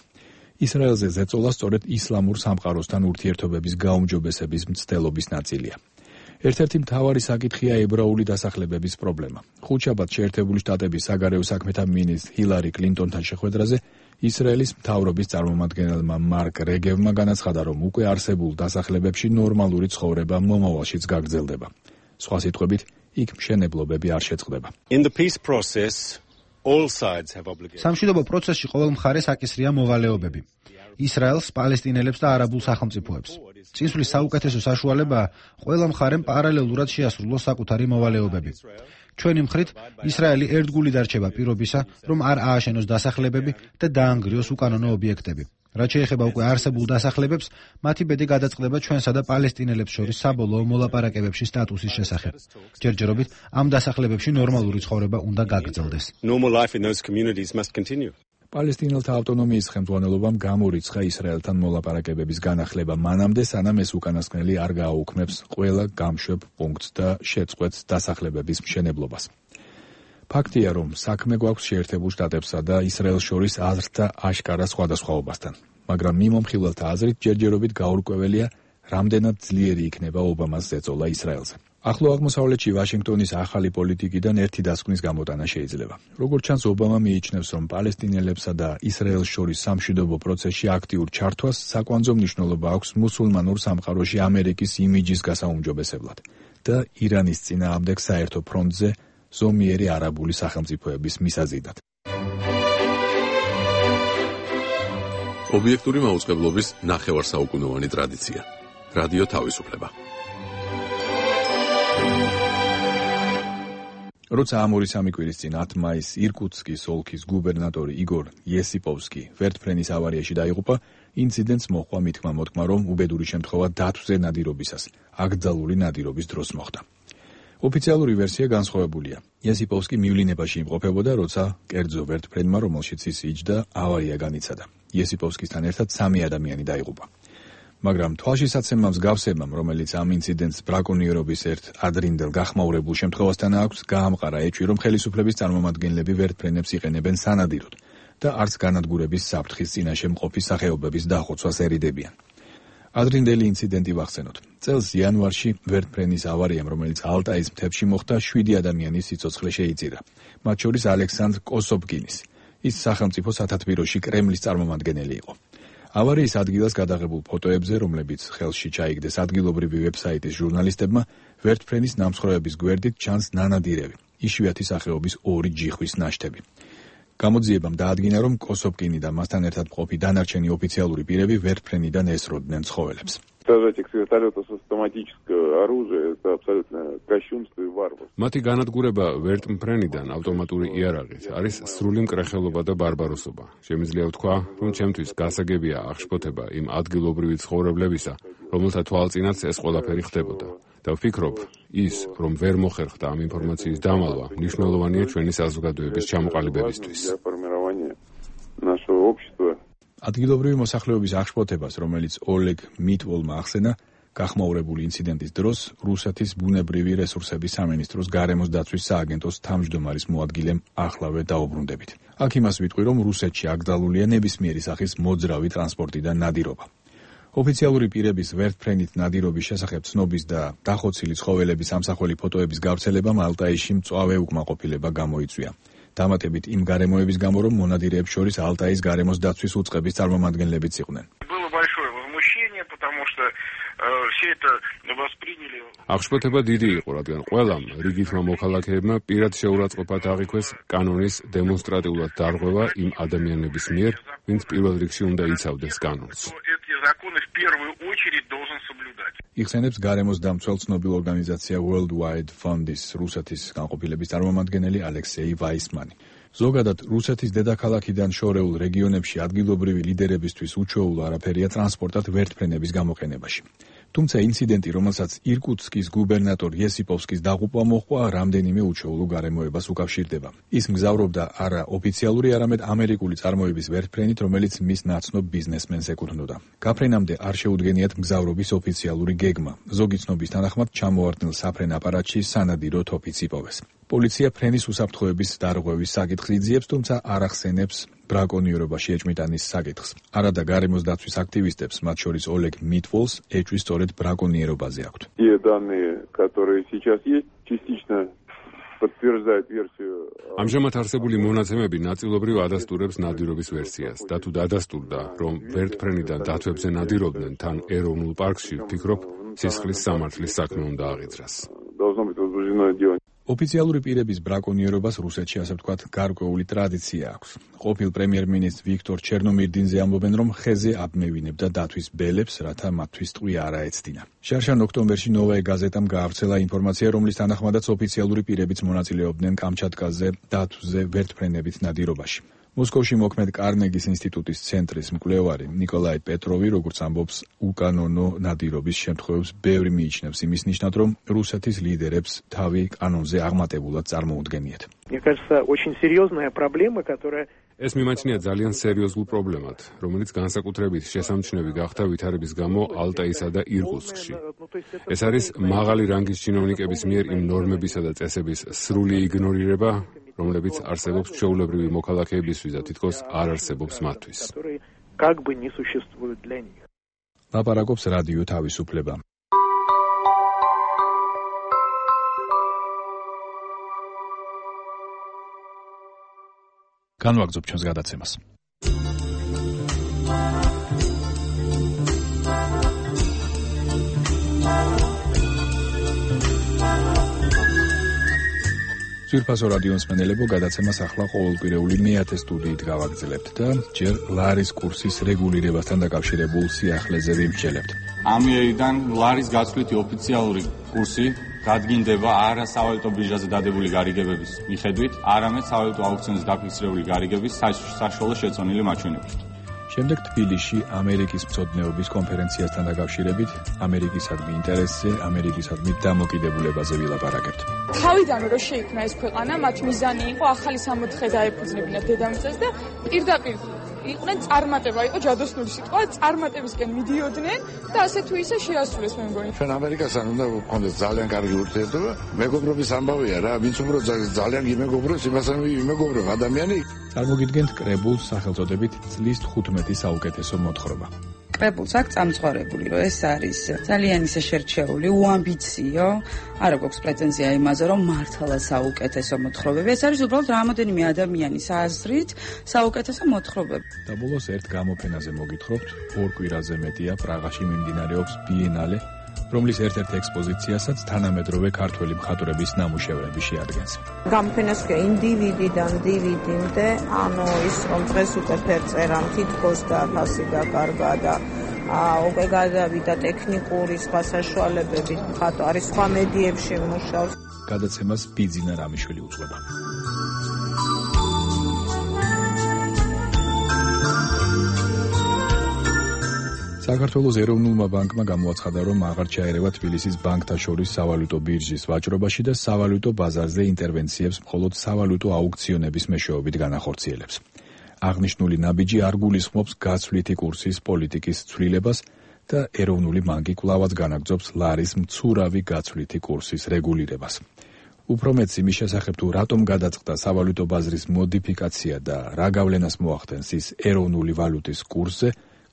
ისრაელზე ზეწოლა სწორედ ისლამურ სამყაროსთან ურთიერთობების გაუმჯობესების მცდელობის ნაწილია. ერთ-ერთი მთავარი საკითხია ებრაული დასახლებების პრობლემა. ხუთშაბათს შეერთებული შტატების საგარეო საქმეთა მინისტრ ჰილარი კლინტონთან შეხვედრაზე ისრაელის მთავრობის წარმომადგენელმა მარკ რეგევმა განაცხადა, რომ უკვე არსებულ დასახლებებში ნორმალური ცხოვრება მომავალშიც გაგრძელდება. სხვა სიტყვებით, იქ მშენებლობები არ შეწყდება. სამშვიდობო პროცესში ყოველ მხარეს აკისრია მოვალეობები. ისრაელს, პალესტინელებს და არაბულ სახელმწიფოებს. წინსვლის საუკეთესო საშუალებაა ყველა მხარემ პარალელურად შეასრულოს საკუთარი მოვალეობები. ჩვენი მხრით, ისრაელი ერთგული დარჩება პირობისა, რომ არ ააშენოს დასახლებები და დაანგრიოს უკანონო ობიექტები. რაც შეეხება უკვე არსებულ დასახლებებს, მათი ბედი გადაწყდება ჩვენსა და პალესტინელებს შორის საბოლოო მოლაპარაკებებში სტატუსის შესახებ. ჯერჯერობით ამ დასახლებებში ნორმალური ცხოვრება უნდა გაგრძელდეს. პალესტინელთა ავტონომიის ხელმძღვანელობამ გამორიცხა ისრაელთან მოლაპარაკებების განახლება მანამდე, სანამ ეს უკანასკნელი არ გააუქმებს ყველა გამშვებ პუნქტს და შეწყვეტს დასახლებების მშენებლობას. ფაქტია, რომ საქმე გვაქვს შეერთებულ შტატებსა და ისრაელს შორის აზრთა აშკარა სხვადასხვაობასთან, მაგრამ მიმომხილველთა აზრით ჯერჯერობით გაურკვეველია, რამდენად ძლიერი იქნება ობამას ზეწოლა ისრაელზე. ახლო აღმოსავლეთში ვაშინგტონის ახალი პოლიტიკიდან ერთი დასკვნის გამოტანა შეიძლება. როგორც ჩანს, ობამა მიიჩნევს, რომ პალესტინელებსა და ისრაელს შორის სამშვიდობო პროცესში აქტიურ ჩართვას საკვანძო მნიშვნელობა აქვს მუსულმანურ სამყაროში ამერიკის იმიჯის გასაუმჯობესებლად და ირანის წინააღმდეგ საერთო ფრონტზე ზომიერი არაბული სახელმწიფოების მისაზიდად. ობიექტური მაუწყებლობის ნახევარსაუკუნოვანი ტრადიცია. რადიო თავისუფლება. როცა ამ 2-3 კვირის წინ 10 მაისს ირკუტსკის ოლქის გუბერნატორი იგორ იესიპოვსკი ვერტფრენის ავარიაში დაიღუპა, ინციდენტს მოჰყვა მითქმა-მოთქმა, რომ უბედური შემთხვევა დათვზე ნადირობისას, აკრძალული ნადირობის დროს მოხდა. ოფიციალური ვერსია განსხვავებულია. იესიპოვსკი მივლინებაში იმყოფებოდა, როცა კერძო ვერტფრენმა, რომელშიც ის იჯდა, ავარია განიცადა. იესიპოვსკისთან ერთად 3 ადამიანი დაიღუპა. მაგრამ თვალშისაცემამ მსგავსებამ, რომელიც ამ ინციდენტს ბრაკონიერობის ერთ ადრინდელ გახმაურებულ შემთხვევასთან აქვს, გაამყარა ეჭვი, რომ ხელისუფლების წარმომადგენლები ვერტფრენებს იყენებენ სანადიროდ და არც განადგურების საფრთხის წინაშე მყოფი სახეობების დახოცვას ერიდებიან. ადრინდელი ინციდენტი ვახსენოთ. წელს იანვარში ვერტფრენის ავარიამ, რომელიც ალტაის მთებში მოხდა, 7 ადამიანის სიცოცხლე შეიწირა, მათ შორის ალექსანდრ კოსობკინის. ის სახელმწიფო სათათბიროში კრემლის წარმომადგენელი იყო. ავარიის ადგილას გადაღებულ ფოტოებზე, რომლებიც ხელში ჩაიგდეს ადგილობრივი ვებსაიტის ჟურნალისტებმა, ვერტფრენის ნამსხვრევების გვერდით ჩანს ნანადირევი, იშვიათი სახეობის 2 ჯიხვის ნაშთები. გამოძიებამ დაადგინა, რომ კოსობკინი და მასთან ერთად მყოფი დანარჩენი ოფიციალური პირები ვერტფრენიდან ესროდნენ ცხოველებს. მათი განადგურება ვერტმფრენიდან ავტომატური იარაღით არის სრული მკრეხელობა და ბარბაროსობა. შემიძლია ვთქვა, რომ ჩემთვის გასაგებია აღშფოთება იმ ადგილობრივი ცხოვრებლებისა, რომელთა თვალწინაც ეს ყველაფერი ხდებოდა. და ვფიქრობ, ის, რომ ვერ მოხერხდა ამ ინფორმაციის დამალვა, მნიშვნელოვანია ჩვენი საზოგადოების ჩამოყალიბებისთვის. ადგილობრივი მოსახლეობის აღშფოთებას, რომელიც ოლეგ მიტვოლმა ახსენა, გახმაურებული ინციდენტის დროს რუსეთის ბუნებრივი რესურსების სამინისტროს გარემოს დაცვის სააგენტოს თავმჯდომარის მოადგილემ ახლავე დაუბრუნდებით. აქ იმას ვიტყვი, რომ რუსეთში აკრძალულია ნებისმიერი სახის მოძრავი ტრანსპორტი და ნადირობა. ოფიციალური პირების ვერტფრენით ნადირობის შესახებ ცნობის და დახოცილი ცხოველების ამსახველი ფოტოების გავრცელებამ ალტაიში მწვავე უკმაყოფილება გამოიწვია. დამატებით იმ გარემოების გამო, რომ მონადირეებს შორის ალტაის გარემოს დაცვის უწყების წარმომადგენლებიც იყვნენ. აღშფოთება დიდი იყო, რადგან ყველამ რიგითმა მოქალაქეებმა პირად შეურაცხყოფად აღიქვეს კანონის დემონსტრატიულად დარღვევა იმ ადამიანების მიერ, ვინც პირველ რიგში უნდა იცავდეს კანონს. იხსენებს გარემოს დამცველ ცნობილ ორგანიზაცია World Wide Fund-ის რუსეთის განყოფილების წარმომადგენელი ალექსეი ვაისმანი. ზოგადად რუსეთის დედაქალაქიდან შორეულ რეგიონებში ადგილობრივი ლიდერებისთვის უჩვეულ არაფერია ტრანსპორტად ვერტფრენების გამოყენებაში. თუმცა ინციდენტი, რომელსაც ირკუტსკის გუბერნატორ იესიპოვსკის დაღუპვა მოჰყვა, რამდენიმე უჩვეულო გარემოებას უკავშირდება. ის მგზავრობდა არა ოფიციალური, არამედ ამერიკული წარმოების ვერტფრენით, რომელიც მის ნაცნობ ბიზნესმენს ეკუთვნოდა. გაფრენამდე არ შეუდგენიათ მგზავრობის ოფიციალური გეგმა. ზოგი ცნობის თანახმად ჩამოვარდნილ საფრენ აპარატში სანადირო თოფიც იპოვეს. პოლიცია ფრენის უსაფრთხოების დარღვევის საკითხს იძიებს, თუმცა არ ახსენებს ბრაკონიერობაში ეჭვმიტანის საკითხს. არადა გარემოს დაცვის აქტივისტებს, მათ შორის ოლეგ მიტვოლს, ეჭვი სწორედ ბრაკონიერობაზე აქვთ. ამჟამად არსებული მონაცემები ნაწილობრივ ადასტურებს ნადირობის ვერსიას და თუ დადასტურდა, რომ ვერტფრენიდან დათვებზე ნადირობდნენ თან ეროვნულ პარკში, ვფიქრობ, სისხლის სამართლის საქმე უნდა აღიძრას. ოფიციალური პირების ბრაკონიერობას რუსეთში, ასე ვთქვათ, გარკვეული ტრადიცია აქვს. ყოფილ პრემიერ-მინისტრ ვიქტორ ჩერნომირდინზე ამბობენ, რომ ხეზე აბმევინებდა დათვის ბელებს, რათა მათთვის ტყვია არ აეცდინა. შარშან ოქტომბერში ნოვაე გაზეტამ გაავრცელა ინფორმაცია, რომლის თანახმადაც ოფიციალური პირებიც მონაწილეობდნენ კამჩატკაზე დათვზე ვერტფრენებით ნადირობაში. მოსკოვში მოქმედ კარნეგის ინსტიტუტის ცენტრის მკვლევარი ნიკოლაი პეტროვი, როგორც ამბობს, უკანონო ნადირობის შემთხვევებს ბევრი მიიჩნევს იმის ნიშნად, რომ რუსეთის ლიდერებს თავი კანონზე აღმატებულად წარმოუდგენიათ. ეს მიმაჩნია ძალიან სერიოზულ პრობლემად, რომელიც განსაკუთრებით შესამჩნევი გახდა ვითარების გამო ალტაისა და ირკუტსკში. ეს არის მაღალი რანგის ჩინოვნიკების მიერ იმ ნორმებისა და წესების სრული იგნორირება, რომლებიც არსებობს ჩვეულებრივი მოქალაქეებისთვის და თითქოს არ არსებობს მათთვის. ლაპარაკობს რადიო თავისუფლება. განვაგრძობ ჩვენს გადაცემას. ძვირფასო რადიო მსმენელებო, გადაცემას ახლა ყოველკვირეული მე-10 სტუდიით გავაგრძელებთ და ჯერ ლარის კურსის რეგულირებასთან დაკავშირებულ სიახლეზე ვიმსჯელებთ. ამიერიდან ლარის გაცვლითი ოფიციალური კურსი გადგინდება არა სავალუტო ბირჟაზე დადებული გარიგებების მიხედვით, არამედ სავალუტო აუქციონზე დაფიქსირებული გარიგების საშუალო შეწონილი მაჩვენებლით. შემდეგ თბილისში ამერიკის მცოდნეობის კონფერენციასთან დაკავშირებით ამერიკისადმი ინტერესზე, ამერიკისადმი დამოკიდებულებაზე ვილაპარაკებთ. თავიდან რომ შეიქმნა ეს ქვეყანა, მათ მიზანი იყო ახალი სამოთხე დაეფუძნებინათ დედამიწას და პირდაპირ იყვნენ წარმატება, იყო ჯადოსნური სიტყვა, წარმატებისკენ მიდიოდნენ და ასე თუ ისე შეასრულეს მე მგონი. ჩვენ ამერიკასთან უნდა გქონდეს ძალიან კარგი ურთიერთობა. მეგობრობის ამბავია რა, ვინც უფრო ძალიან იმეგობრებს, იმასთან იმეგობრებ ადამიანი. წარმოგიდგენთ კრებულს სახელწოდებით წლის 15 საუკეთესო მოთხრობა. კრებულს აქვს წამწყობებული, რომ ეს არის ძალიან ისე შერჩეული, უამბიციო, არა გვაქვს პრეტენზია იმაზე, რომ მართლა საუკეთესო მოთხრობები. ეს არის უბრალოდ რამოდენიმე ადამიანის აზრით საუკეთესო მოთხრობები. და ბოლოს ერთ გამოფენაზე მოგითხრობთ, 2 კვირაზე მეტია პრაღაში მიმდინარეობს ბიენალე, რომლის ერთ-ერთ ექსპოზიციასაც თანამედროვე ქართველი მხატვრების ნამუშევრები შეადგენს. გამოფენას ქვია ინდივიდიდან დივიდამდე, ანუ ის რომ დღეს უკვე ფერწერამ თითქოს და ფასი დაკარგა და უკვე გადავიდა ტექნიკური სხვა საშუალებებით, მხატვარი სხვა მედიებში მუშაობს. გადაცემას ბიძინა რამიშვილი უძღვება. საქართველოს ეროვნულმა ბანკმა გამოაცხადა, რომ აღარ ჩაერევა თბილისის ბანკთა შორის სავალუტო ბირჟის ვაჭრობაში და სავალუტო ბაზარზე ინტერვენციებს მხოლოდ სავალუტო აუქციონების მეშვეობით განახორციელებს. აღნიშნული ნაბიჯი არ გულისხმობს გაცვლითი კურსის პოლიტიკის ცვლილებას და ეროვნული ბანკი კვლავაც განაგრძობს ლარის მცურავი გაცვლითი კურსის რეგულირებას. უფრო მეც იმის შესახებ, თუ რატომ გადაწყდა სავალუტო ბაზრის მოდიფიკაცია და რა გავლენას მოახდენს ის ეროვნული ვალუტის კურსზე,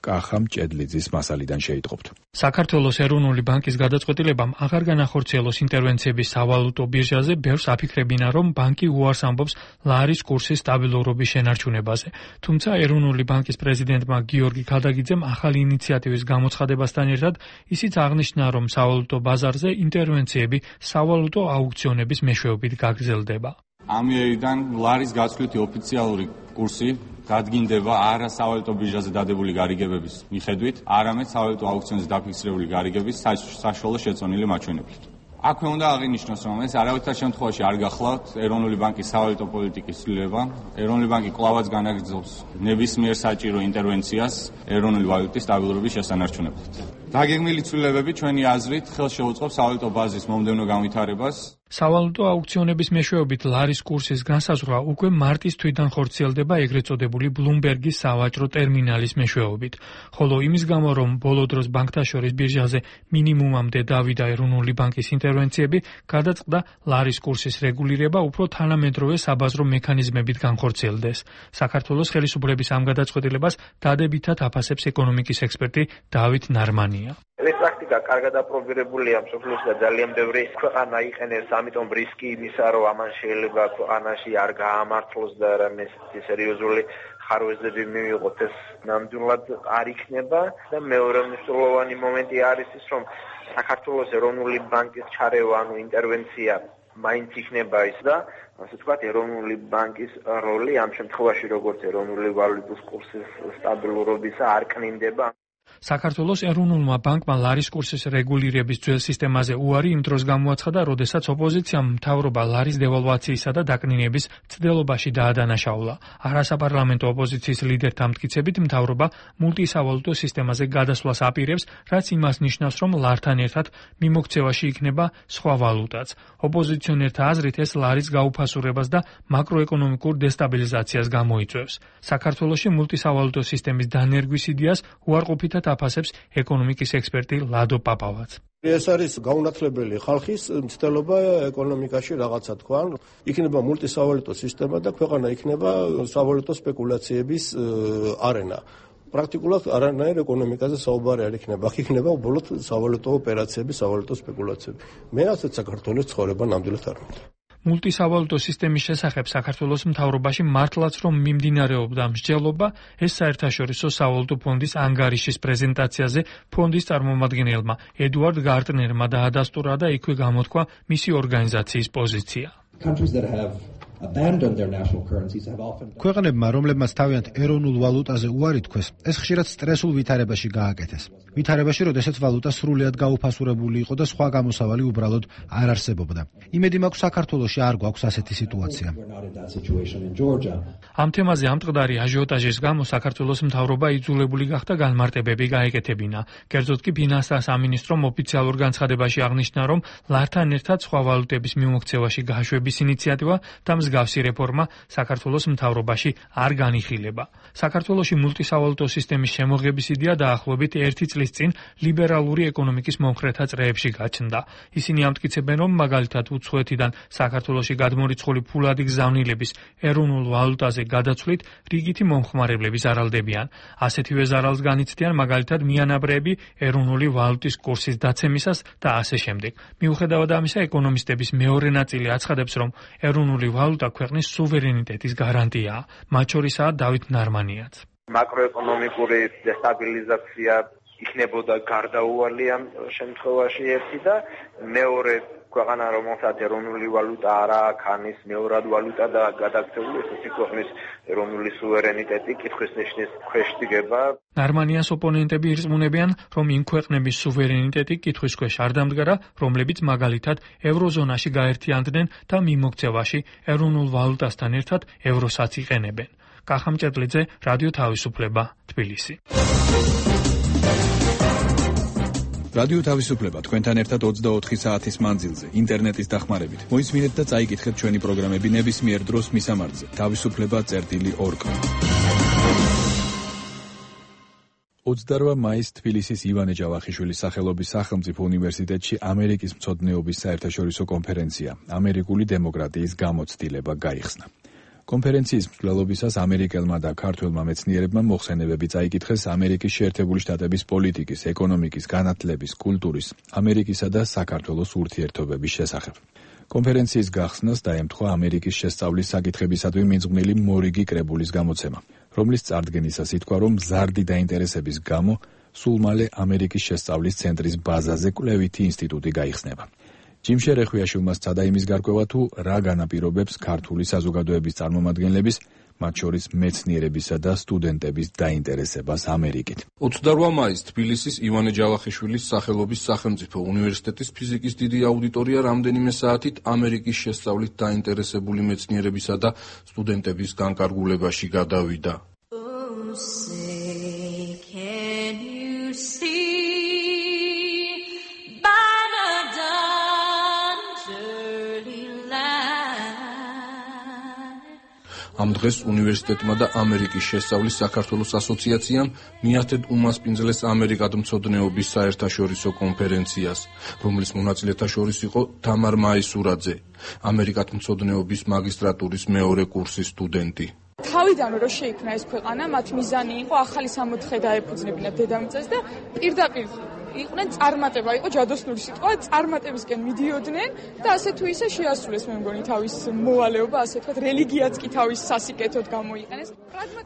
კახა მჭედლიძის მასალიდან შეიტყობთ. საქართველოს ეროვნული ბანკის გადაწყვეტილებამ აღარ განახორციელოს ინტერვენციები სავალუტო ბირჟაზე, ბევრს აფიქრებინა, რომ ბანკი უარს ამბობს ლარის კურსის სტაბილურობის შენარჩუნებაზე. თუმცა ეროვნული ბანკის პრეზიდენტმა გიორგი ქადაგიძემ ახალი ინიციატივის გამოცხადებასთან ერთად ისიც აღნიშნა, რომ სავალუტო ბაზარზე ინტერვენციები სავალუტო აუქციონების მეშვეობით გაგრძელდება. ამიერიდან ლარის გაცვლითი ოფიციალური კურსი გადგინდება არა სავალუტო ბირჟაზე დადებული გარიგებების მიხედვით, არამედ სავალუტო აუქციონზე დაფიქსირებული გარიგების საშუალო შეწონილი მაჩვენებლით. აქვე უნდა აღინიშნოს, რომ ეს არავითარ შემთხვევაში არ გახლავთ ეროვნული ბანკის სავალუტო პოლიტიკის ცვლილება. ეროვნული ბანკი კვლავაც განაგრძობს ნებისმიერ საჭირო ინტერვენციას ეროვნული ვალუტის სტაბილურობის შესანარჩუნებლად. დაგეგმილი ცვლილებები ჩვენი აზრით ხელს შეუწყობს სავალუტო ბაზრის მომდევნო განვითარებას. სავალუტო აუქციონების მეშვეობით ლარის კურსის განსაზღვრა უკვე მარტის თვიდან ხორციელდება ეგრეთ წოდებული ბლუმბერგის სავაჭრო ტერმინალის მეშვეობით. ხოლო იმის გამო, რომ ბოლო დროს ბანკთა შორის ბირჟაზე მინიმუმამდე დავიდა ეროვნული ბანკის ინტერვენციები, გადაწყდა ლარის კურსის რეგულირება უფრო თანამედროვე საბაზრო მექანიზმებით განხორციელდეს. საქართველოს ხელისუფლების ამ გადაწყვეტილებას დადებითად აფასებს ეკონომიკის ექსპერტი დავით ნარმანია. ეს პრაქტიკა კარგად აპრობირებულია მსოფლიოს და ძალიან ბევრი ქვეყანა იყენებს, ამიტომ რისკი იმისა, რომ ამან შეიძლება ქვეყანაში არ გაამართლოს და რამე სერიოზული ხარვეზები მივიღოთ, ეს ნამდვილად არ იქნება და მეორე მნიშვნელოვანი მომენტი არის ის, რომ საქართველოს ეროვნული ბანკის ჩარევა, ანუ ინტერვენცია მაინც იქნება ის და ასე ვთქვათ, ეროვნული ბანკის როლი ამ შემთხვევაში როგორც ეროვნული ვალუტის კურსის სტაბილურობისა არ კნინდება. საქართველოს ეროვნულმა ბანკმა ლარის კურსის რეგულირების ძველ სისტემაზე უარი იმ დროს გამოაცხადა, როდესაც ოპოზიციამ მთავრობა ლარის დევალვაციისა და დაკნინების მცდელობაში დაადანაშაულა. არასაპარლამენტო ოპოზიციის ლიდერთა მტკიცებით, მთავრობა მულტისავალუტო სისტემაზე გადასვლას აპირებს, რაც იმას ნიშნავს, რომ ლართან ერთად მიმოქცევაში იქნება სხვა ვალუტაც. ოპოზიციონერთა აზრით ეს ლარის გაუფასურებას და მაკროეკონომიკურ დესტაბილიზაციას გამოიწვევს. საქართველოში მულტისავალუტო სისტემის დანერგვის იდეას უარყოფითად აფასებს ეკონომიკის ექსპერტი ლადო პაპავაც. ეს არის გაუნათლებელი ხალხის მცდელობა ეკონომიკაში რაღაცა თქვა. იქნება მულტისავალუტო სისტემა და ქვეყანა იქნება სავალუტო სპეკულაციების არენა. პრაქტიკულად არანაირ ეკონომიკაზე საუბარი არ იქნება. აქ იქნება უბრალოდ სავალუტო ოპერაციები, სავალუტო სპეკულაციები. მე ასეთ საქართველოს ცხოვრება ნამდვილად არ მინდა. მულტისავალუტო სისტემის შესახებ საქართველოს მთავრობაში მართლაც რომ მიმდინარეობდა მსჯელობა, ეს საერთაშორისო სავალუტო ფონდის ანგარიშის პრეზენტაციაზე ფონდის წარმომადგენელმა ედუარდ გარტნერმა დაადასტურა და იქვე გამოთქვა მისი ორგანიზაციის პოზიცია. ქვეყნებმა, რომლებმაც თავიანთ ეროვნულ ვალუტაზე უარი თქვეს, ეს ხშირად სტრესულ ვითარებაში გააკეთეს. ვითარებაში, როდესაც ვალუტა სრულიად გაუფასურებული იყო და სხვა გამოსავალი უბრალოდ არ არსებობდა. იმედი მაქვს, საქართველოში არ გვაქვს ასეთი სიტუაცია. ამ თემაზე ამტყდარი აჟიოტაჟის გამო საქართველოს მთავრობა იძულებული გახდა განმარტებები გაეკეთებინა. კერძოდ კი ფინანსთა სამინისტრომ ოფიციალურ განცხადებაში აღნიშნა, რომ ლართან ერთად სხვა ვალუტების მიმოქცევაში გაშვების ინიციატივა და მსგავსი რეფორმა საქართველოს მთავრობაში არ განიხილება. საქართველოში მულტისავალუტო სისტემის შემოღების იდეა დაახლოებით 1 წლის წინ ლიბერალური ეკონომიკის მომხრეთა წრეებში გაჩნდა. ისინი ამტკიცებენ, რომ მაგალითად უცხოეთიდან საქართველოში გადმორიცხული ფულადი გზავნილების ეროვნულ ვალუტაზე გადაცვლით რიგითი მომხმარებლები ზარალდებიან. ასეთივე ზარალს განიცდიან მაგალითად მიანაბრეები ეროვნული ვალუტის კურსის დაცემისას და ასე შემდეგ. მიუხედავად ამისა, ეკონომისტების მეორე ნაწილი აცხადებს, რომ ეროვნული ვალუტა ქვეყნის სუვერენიტეტის გარანტიაა. მათ შორისაა დავით ნარმანიაც. მაკროეკონომიკური დესტაბილიზაცია იქნებოდა გარდაუვალი ამ შემთხვევაში ერთი და მეორე ქვეყანა რომელსაც ეროვნული ვალუტა არ აქვს, ანის მეორად ვალუტა და გადაქცეული, ესეთი ქვეყნის ეროვნული სუვერენიტეტი კითხვის ნიშნის ქვეშ დგება. ნარმანიას ოპონენტები ირწმუნებიან, რომ იმ ქვეყნების სუვერენიტეტი კითხვის ქვეშ არ დამდგარა, რომლებიც მაგალითად ევროზონაში გაერთიანდნენ და მიმოქცევაში ეროვნულ ვალუტასთან ერთად ევროსაც იყენებენ. კახა მჭედლიძე, რადიო თავისუფლება, თბილისი. რადიო თავისუფლება თქვენთან ერთად 24 საათის მანძილზე, ინტერნეტის დახმარებით. მოისმინეთ და წაიკითხეთ ჩვენი პროგრამები ნებისმიერ დროს მისამართზე. თავისუფლება.org. 28 მაისს თბილისის ივანე ჯავახიშვილის სახელობის სახელმწიფო უნივერსიტეტში ამერიკის მცოდნეობის საერთაშორისო კონფერენცია ამერიკული დემოკრატიის გამოცდილება გაიხსნა. კონფერენციის მსვლელობისას ამერიკელმა და ქართველმა მეცნიერებმა მოხსენებები წაიკითხეს ამერიკის შეერთებული შტატების პოლიტიკის, ეკონომიკის, განათლების, კულტურის, ამერიკისა და საქართველოს ურთიერთობების შესახებ. კონფერენციის გახსნას დაემთხვა ამერიკის შესწავლის საკითხებისადმი მიძღვნილი მორიგი კრებულის გამოცემა, რომლის წარდგენისას ითქვა, რომ მზარდი დაინტერესების გამო სულ მალე ამერიკის შესწავლის ცენტრის ბაზაზე კვლევითი ინსტიტუტი გაიხსნება. ჯიმშე რეხვიაშვილმა სცადა იმის გარკვევა, თუ რა განაპირობებს ქართული საზოგადოების წარმომადგენლების, მათ შორის მეცნიერებისა და სტუდენტების დაინტერესებას ამერიკით. 28 მაისს თბილისის ივანე ჯავახიშვილის სახელობის სახელმწიფო უნივერსიტეტის ფიზიკის დიდი აუდიტორია რამდენიმე საათით ამერიკის შესწავლით დაინტერესებული მეცნიერებისა და სტუდენტების განკარგულებაში გადავიდა. ამ დღეს უნივერსიტეტმა და ამერიკის შესწავლის საქართველოს ასოციაციამ მიართეთ უმასპინძლეს ამერიკად მცოდნეობის საერთაშორისო კონფერენციას, რომლის მონაწილეთა შორის იყო თამარ მაისურაძე, ამერიკად მცოდნეობის მაგისტრატურის მეორე კურსის სტუდენტი. თავიდან რო შეიქმნა ეს ქვეყანა, მათ მიზანი იყო ახალი სამოთხე დაეფუძნებინათ დედამიწას და პირდაპირ იყვნენ წარმატება, იყო ჯადოსნური სიტყვა, წარმატებისკენ მიდიოდნენ და ასე თუ ისე შეასრულეს მე მგონი თავის მოვალეობა, ასე თქვა, რელიგიაც კი თავის სასიკეთოდ გამოიყენეს.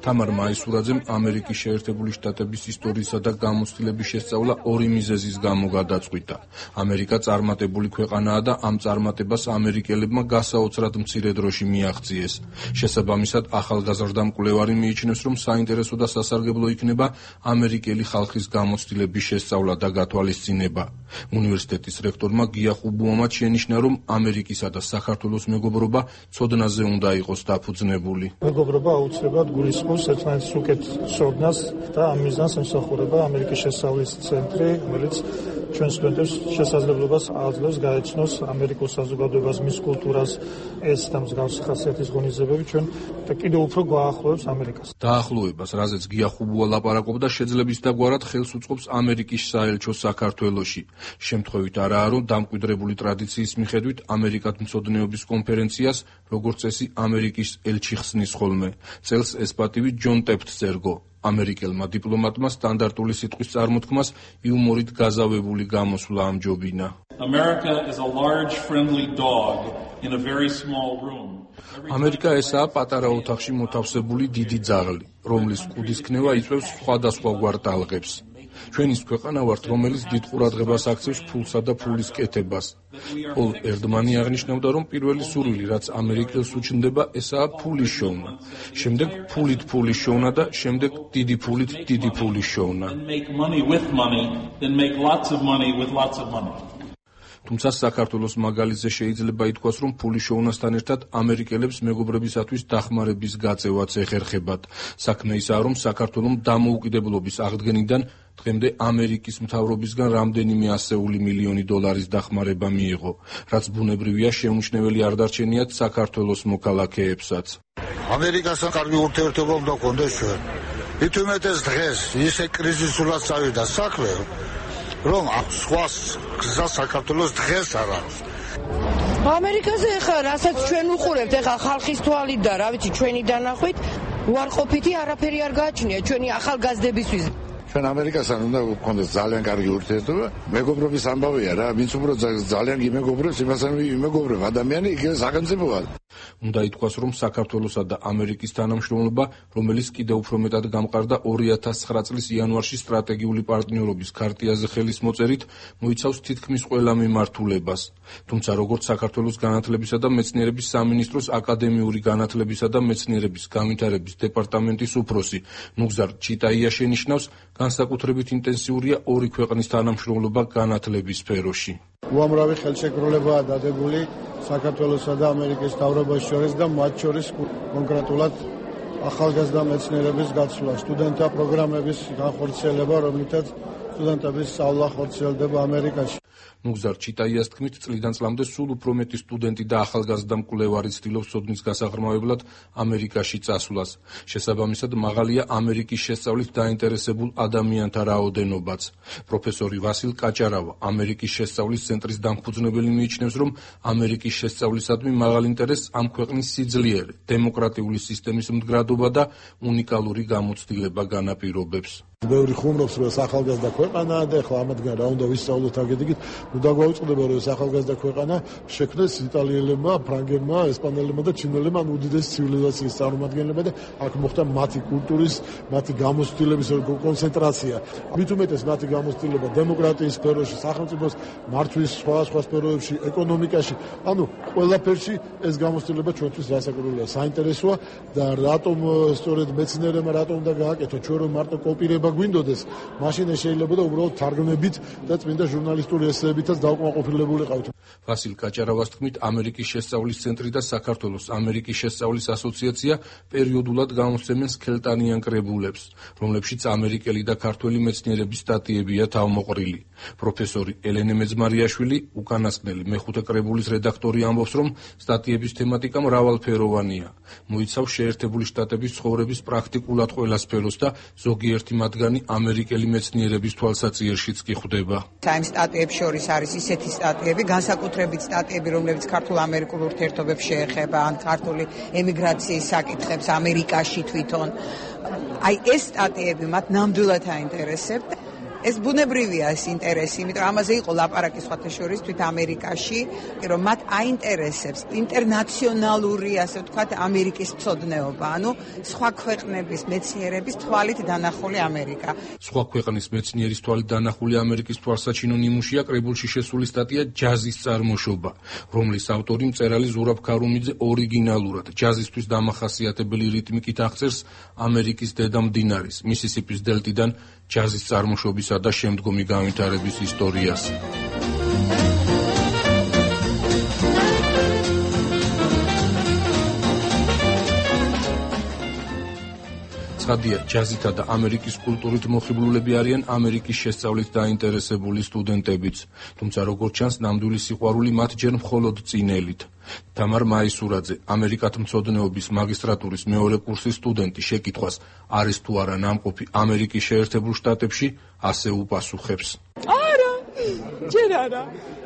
თამარ მაისურაძემ ამერიკის შეერთებული შტატების ისტორიისა და გამოცდილების შესწავლა ორი მიზეზის გამო გადაწყვიტა. ამერიკა წარმატებული ქვეყანაა და ამ წარმატებას ამერიკელებმა გასაოცრად მცირე დროში მიაღწიეს. შესაბამისად, ახალგაზრდა მკვლევარი მიიჩნევს, რომ საინტერესო და სასარგებლო იქნება ამერიკელი ხალხის გამოცდილების შესწავლა და გათვალისწინება. უნივერსიტეტის რექტორმა გია ხუბუამაც შენიშნა, რომ ამერიკისა და საქართველოს მეგობრობა ცოდნაზე უნდა იყოს დაფუძნებული. მეგობრობა აუცილებლად გულისხმობს ერთმანეთის უკეთ ცოდნას და ამ მიზანს ემსახურება ამერიკის შესწავლის ცენტრი, რომელიც ჩვენ სტუდენტებს შესაძლებლობას აძლევს გაეცნოს ამერიკულ საზოგადოებას, მის კულტურას, ეს და მსგავსი ხასიათის ღონისძიებები ჩვენ და კიდევ უფრო გვაახლოებს ამერიკას. დაახლოებას, რაზეც გია ხუბუა ლაპარაკობდა, შეძლების დაგვარად ხელს უწყობს ამერიკის საელჩო საქართველოში. შემთხვევით არაა, რომ დამკვიდრებული ტრადიციის მიხედვით ამერიკად მცოდნეობის კონფერენციას, როგორც წესი, ამერიკის ელჩი ხსნის ხოლმე. წელს ეს პატივი ჯონ ტეფტს ერგო. ამერიკელმა დიპლომატმა სტანდარტული სიტყვის წარმოთქმას იუმორით გაზავებული გამოსვლა ამჯობინა. ამერიკა ესაა პატარა ოთახში მოთავსებული დიდი ძაღლი, რომლის კუდის ქნევა იწვევს სხვადასხვაგვარ ტალღებს. ჩვენ ის ქვეყანა ვართ, რომელიც დიდ ყურადღებას აქცევს ფულსა და ფულის კეთებას. პოლ ერდმანი აღნიშნავდა, რომ პირველი სურვილი, რაც ამერიკელს უჩნდება, ესაა ფულის შოვნა. შემდეგ ფულით ფულის შოვნა და შემდეგ დიდი ფულით დიდი ფულის შოვნა. თუმცა საქართველოს მაგალითზე შეიძლება ითქვას, რომ ფულის შოვნასთან ერთად ამერიკელებს მეგობრებისათვის დახმარების გაწევაც ეხერხებათ. საქმე ისაა, რომ საქართველოს დამოუკიდებლობის აღდგენიდან დღემდე ამერიკის მთავრობისგან რამდენიმე ასეული მილიონი დოლარის დახმარება მიიღო, რაც ბუნებრივია შეუმჩნეველი არ დარჩენიათ საქართველოს მოქალაქეებსაც. ამერიკასთან კარგი ურთიერთობა უნდა გქონდეს ჩვენ. მithumetes დღეს ისე კრიზისულად წავიდა საქმე, რომ სხვა გზა საქართველოს დღეს არ არის. ამერიკაზე ახლა რასაც ჩვენ უყურებთ, ახლა ხალხის თვალით და რა ვიცი ჩვენი დანახვით, უარყოფითი არაფერი არ გააჩნია ჩვენი ახალგაზრდებისთვის. ჩვენ ამერიკასთან უნდა გქონდეს ძალიან კარგი ურთიერთობა. მეგობრობის ამბავია რა, ვინც უფრო ძალიან გიმეგობრებს, იმასთან იმეგობრება ადამიანი იგივე სახელმწიფოა. უნდა ითქვას, რომ საქართველოსა და ამერიკის თანამშრომლობა, რომელიც კიდევ უფრო მეტად გამყარდა 2009 წლის იანვარში სტრატეგიული პარტნიორობის ქარტიაზე ხელის მოწერით, მოიცავს თითქმის ყველა მიმართულებას. თუმცა როგორც საქართველოს განათლებისა და მეცნიერების სამინისტროს აკადემიური განათლებისა და მეცნიერების განვითარების დეპარტამენტის უფროსი ნუგზარ ჩიტაია შენიშნავს, განსაკუთრებით ინტენსიურია ორი ქვეყნის თანამშრომლობა განათლების სფეროში. უამრავი ხელშეკრულებაა დადებული საქართველოსა და ამერიკის მთავრობას შორის და მათ შორის კონკრეტულად ახალგაზრდა მეცნიერების გაცვლა, სტუდენტთა პროგრამების განხორციელება, რომლითაც სტუდენტების სწავლა ხორციელდება ამერიკაში. ნუგზარ ჩიტაიას თქმით, წლიდან წლამდე სულ უფრო მეტი სტუდენტი და ახალგაზრდა მკვლევარი ცდილობს სოდნის გასაღრმავებლად ამერიკაში წასვლას. შესაბამისად, მაღალია ამერიკის შესწავლით დაინტერესებულ ადამიანთა რაოდენობაც. პროფესორი ვასილ კაჭარავა, ამერიკის შესწავლის ცენტრის დამფუძნებელი მიიჩნევს, რომ ამერიკის შესწავლისადმი მაღალ ინტერესს ამ ქვეყნის სიძლიერე, დემოკრატიული სისტემის მდგრადობა და უნიკალური გამოცდილება განაპირობებს. ბევრი ხუმრობს, რომ ახალგაზრდა ქვეყანაა და ახლა ამათგან რა უნდა ვისწავლოთ აგედიგით, დაგვაუწყდება, რომ ახალგაზრდა ქვეყანა შექმნეს იტალიელებმა, ფრანგებმა, ესპანელებმა და ჩინელებმა, უდიდესი ცივილიზაციის წარმომადგენლებმა და აქ მოხდა მათი კულტურის, მათი გამოცდილების კონცენტრაცია. მით უმეტეს მათი გამოცდილება დემოკრატიის სფეროში, სახელმწიფოს მართვის სხვა სფეროებში, ეკონომიკაში, ანუ ყველაფერში ეს გამოცდილება ჩვენთვის რასაკვირველია, საინტერესოა და რატომ სწორედ მეცნიერებმა რატომ უნდა გააკეთო ჩვენ რომ მარტო კოპირება გვინდოდეს, მაშინ შეიძლება და უბრალოდ თარგმნებით და წმინდა ჟურნალისტური ესეებითაც დაუკმაყოფილებულიყავთ. ვასილ კაჭარავას თქმით, ამერიკის შესწავლის ცენტრი და საქართველოს ამერიკის შესწავლის ასოციაცია პერიოდულად გამოსცემენ სქელტანიან კრებულებს, რომლებშიც ამერიკელი და ქართველი მეცნიერების სტატიებია თავმოყრილი. პროფესორი ელენე მეძმარიაშვილი, უკანასკნელი მეხუთე კრებულის რედაქტორი, ამბობს, რომ სტატიების თემატიკა მრავალფეროვანია. მოიცავს შეერთებული შტატების ცხოვრების პრაქტიკულად ყველა სფეროს და ზოგიერთი მათგანი ამერიკელი მეცნიერების თვალსაჩინოშიც კი ხვდება. ამ სტატიებს შორის არის ისეთი სტატიები, განსაკუთრებით სტატიები, რომლებიც ქართულ-ამერიკულ ურთიერთობებს შეეხება, ან ქართული ემიგრაციის საკითხებს ამერიკაში თვითონ. აი ეს სტატიები მათ ნამდვილად აინტერესებთ. ეს ბუნებრივია ეს ინტერესი, იმიტომ რომ ამაზე იყო ლაპარაკი სხვათა შორის თვით ამერიკაში, რომ მათ აინტერესებს ინტერნაციონალური, ასე ვთქვათ, ამერიკის მცოდნეობა, ანუ სხვა ქვეყნების მეცნიერების თვალით დანახული ამერიკა. სხვა ქვეყნის მეცნიერის თვალით დანახული ამერიკის თვალსაჩინო ნიმუშია კრებულში შესული სტატია ჯაზის წარმოშობა, რომლის ავტორი მწერალი ზურაბ ქარუმიძე ორიგინალურად ჯაზისთვის დამახასიათებელი რიტმიკით აღწერს ამერიკის დედა მდინარის, მისისიპის დელტიდან ჯაზის წარმოშობისა და შემდგომი განვითარების ისტორიას. ცხადია, ჯაზითა და ამერიკის კულტურით მოხიბლულები არიან ამერიკის შესწავლით დაინტერესებული სტუდენტებიც, თუმცა როგორც ჩანს, ნამდვილი სიყვარული მათ ჯერ მხოლოდ წინელით. თამარ მაისურაძე, ამერიკათმცოდნეობის მაგისტრატურის მეორე კურსის სტუდენტი, შეკითხვას არის თუ არა ნამყოფი ამერიკის შეერთებულ შტატებში, ასე უპასუხებს. არა, ჯერ არა.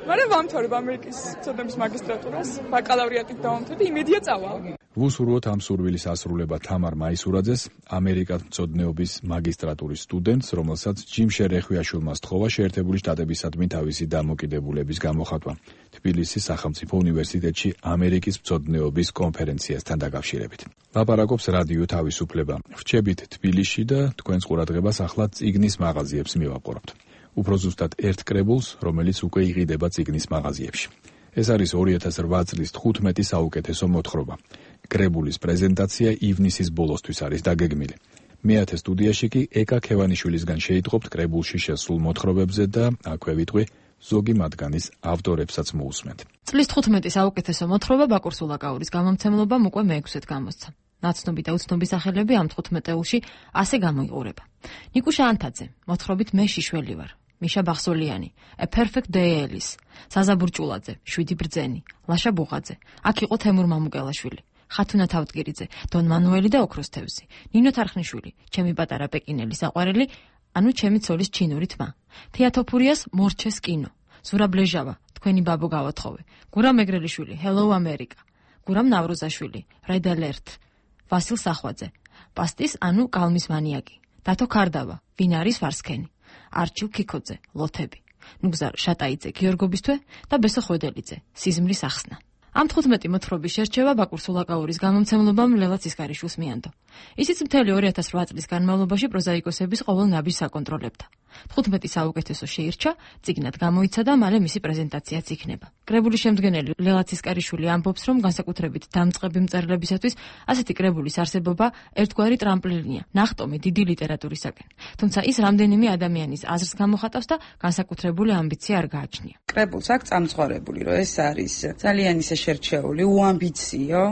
მაგრამ ვამთავრებ ამერიკის მცოდნეობის მაგისტრატურას, ბაკალავრიატით დავამთავრე და იმედია წავალ. ვუსურვოთ ამ სურვილის ასრულება თამარ მაისურაძეს, ამერიკათმცოდნეობის მაგისტრატურის სტუდენტს, რომელსაც ჯიმ შერეხვიაშვილმა სთხოვა შეერთებული შტატებისადმი თავისი დამოკიდებულების გამოხატვა თბილისის სახელმწიფო უნივერსიტეტში ამერიკის მცოდნეობის კონფერენციასთან დაკავშირებით. ლაპარაკობს რადიო თავისუფლება. ვრჩებით თბილისში და თქვენს ყურადღებას ახლა წიგნის მაღაზიებს მივაპყრობთ. უფრო ზუსტად ერთ კრებულს, რომელიც უკვე იყიდება წიგნის მაღაზიებში. ეს არის 2008 წლის 15 საუკეთესო მოთხრობა. კრებულის პრეზენტაცია ივნისის ბოლოსთვის არის დაგეგმილი. მეათე სტუდიაში კი ეკა ქევანიშვილისგან შეიტყობთ კრებულში შესულ მოთხრობებზე და აქვე ვიტყვი ზოგი მათგანის ავტორებსაც მოусმენთ. წლის 15 საუკეთესო მოთხრობა ბაკურ სულაკაურის გამომცემლობამ უკვე მე-6-ით გამოსცა. ნაცნობი და უცნობი სახელები ამ 15-ში ასე გამოიყურება. ნიკუშა ანთაძე, მოთხრობით მე შიშველი ვარ. მიშა ბახსოლიანი, A Perfect Day Alice, საზა ბურჭულაძე, 7 ბრძენი, ლაშა ბუღაძე, აქ იყო თემურ მამუკელაშვილი, ხათუნა თავდგირიძე, დონ მანუელი და ოქროს თევზი, ნინო თარხნიშვილი, ჩემი პატარა პეკინელი საყვარელი, ანუ ჩემი ცოლის ჩინური თმა, თეატოფურიას მორჩეს კინო, ზურაბ ლეჟავა, თქვენი ბაბო გავათხოვე, გურამ ეგრელიშვილი, Hello America, გურამ ნავრუზაშვილი, Red Alert, ვასილ სახვაძე, პასტის ანუ კალმის მანიაკი, დათო ქარდავა, ვინ არის ვარსქენი, არჩილ ქიქოძე, ლოთები, ნუგზარ შატაიძე, გიორგობისთვე და ბესო ხვედელიძე, სიზმრის ახსნა. ამ 15 მოთხრობის შერჩევა ბაკურ სულაკაურის გამომცემლობამ ლელა ცისკარიშვილს მიანდო. ისიც მთელი 2008 წლის განმავლობაში პროზაიკოსების ყოველ ნაბიჯს აკონტროლებდა. 15 საუკეთესო შეირჩა, წიგნად გამოიცა და მალე მისი პრეზენტაციაც იქნება. კრებულის შემდგენელი ლელა ცისკარიშვილი ამბობს, რომ განსაკუთრებით დამწყები მწერლებისათვის ასეთი კრებულის არსებობა ერთგვარი ტრამპლინია, ნახტომი დიდი ლიტერატურისაკენ. თუმცა ის რამდენიმე ადამიანის აზრს გამოხატავს და განსაკუთრებული ამბიცია არ გააჩნია. კრებულს აქვს წამწყორებული, რომ ეს არის ძალიან ისე შერჩეული, უამბიციო,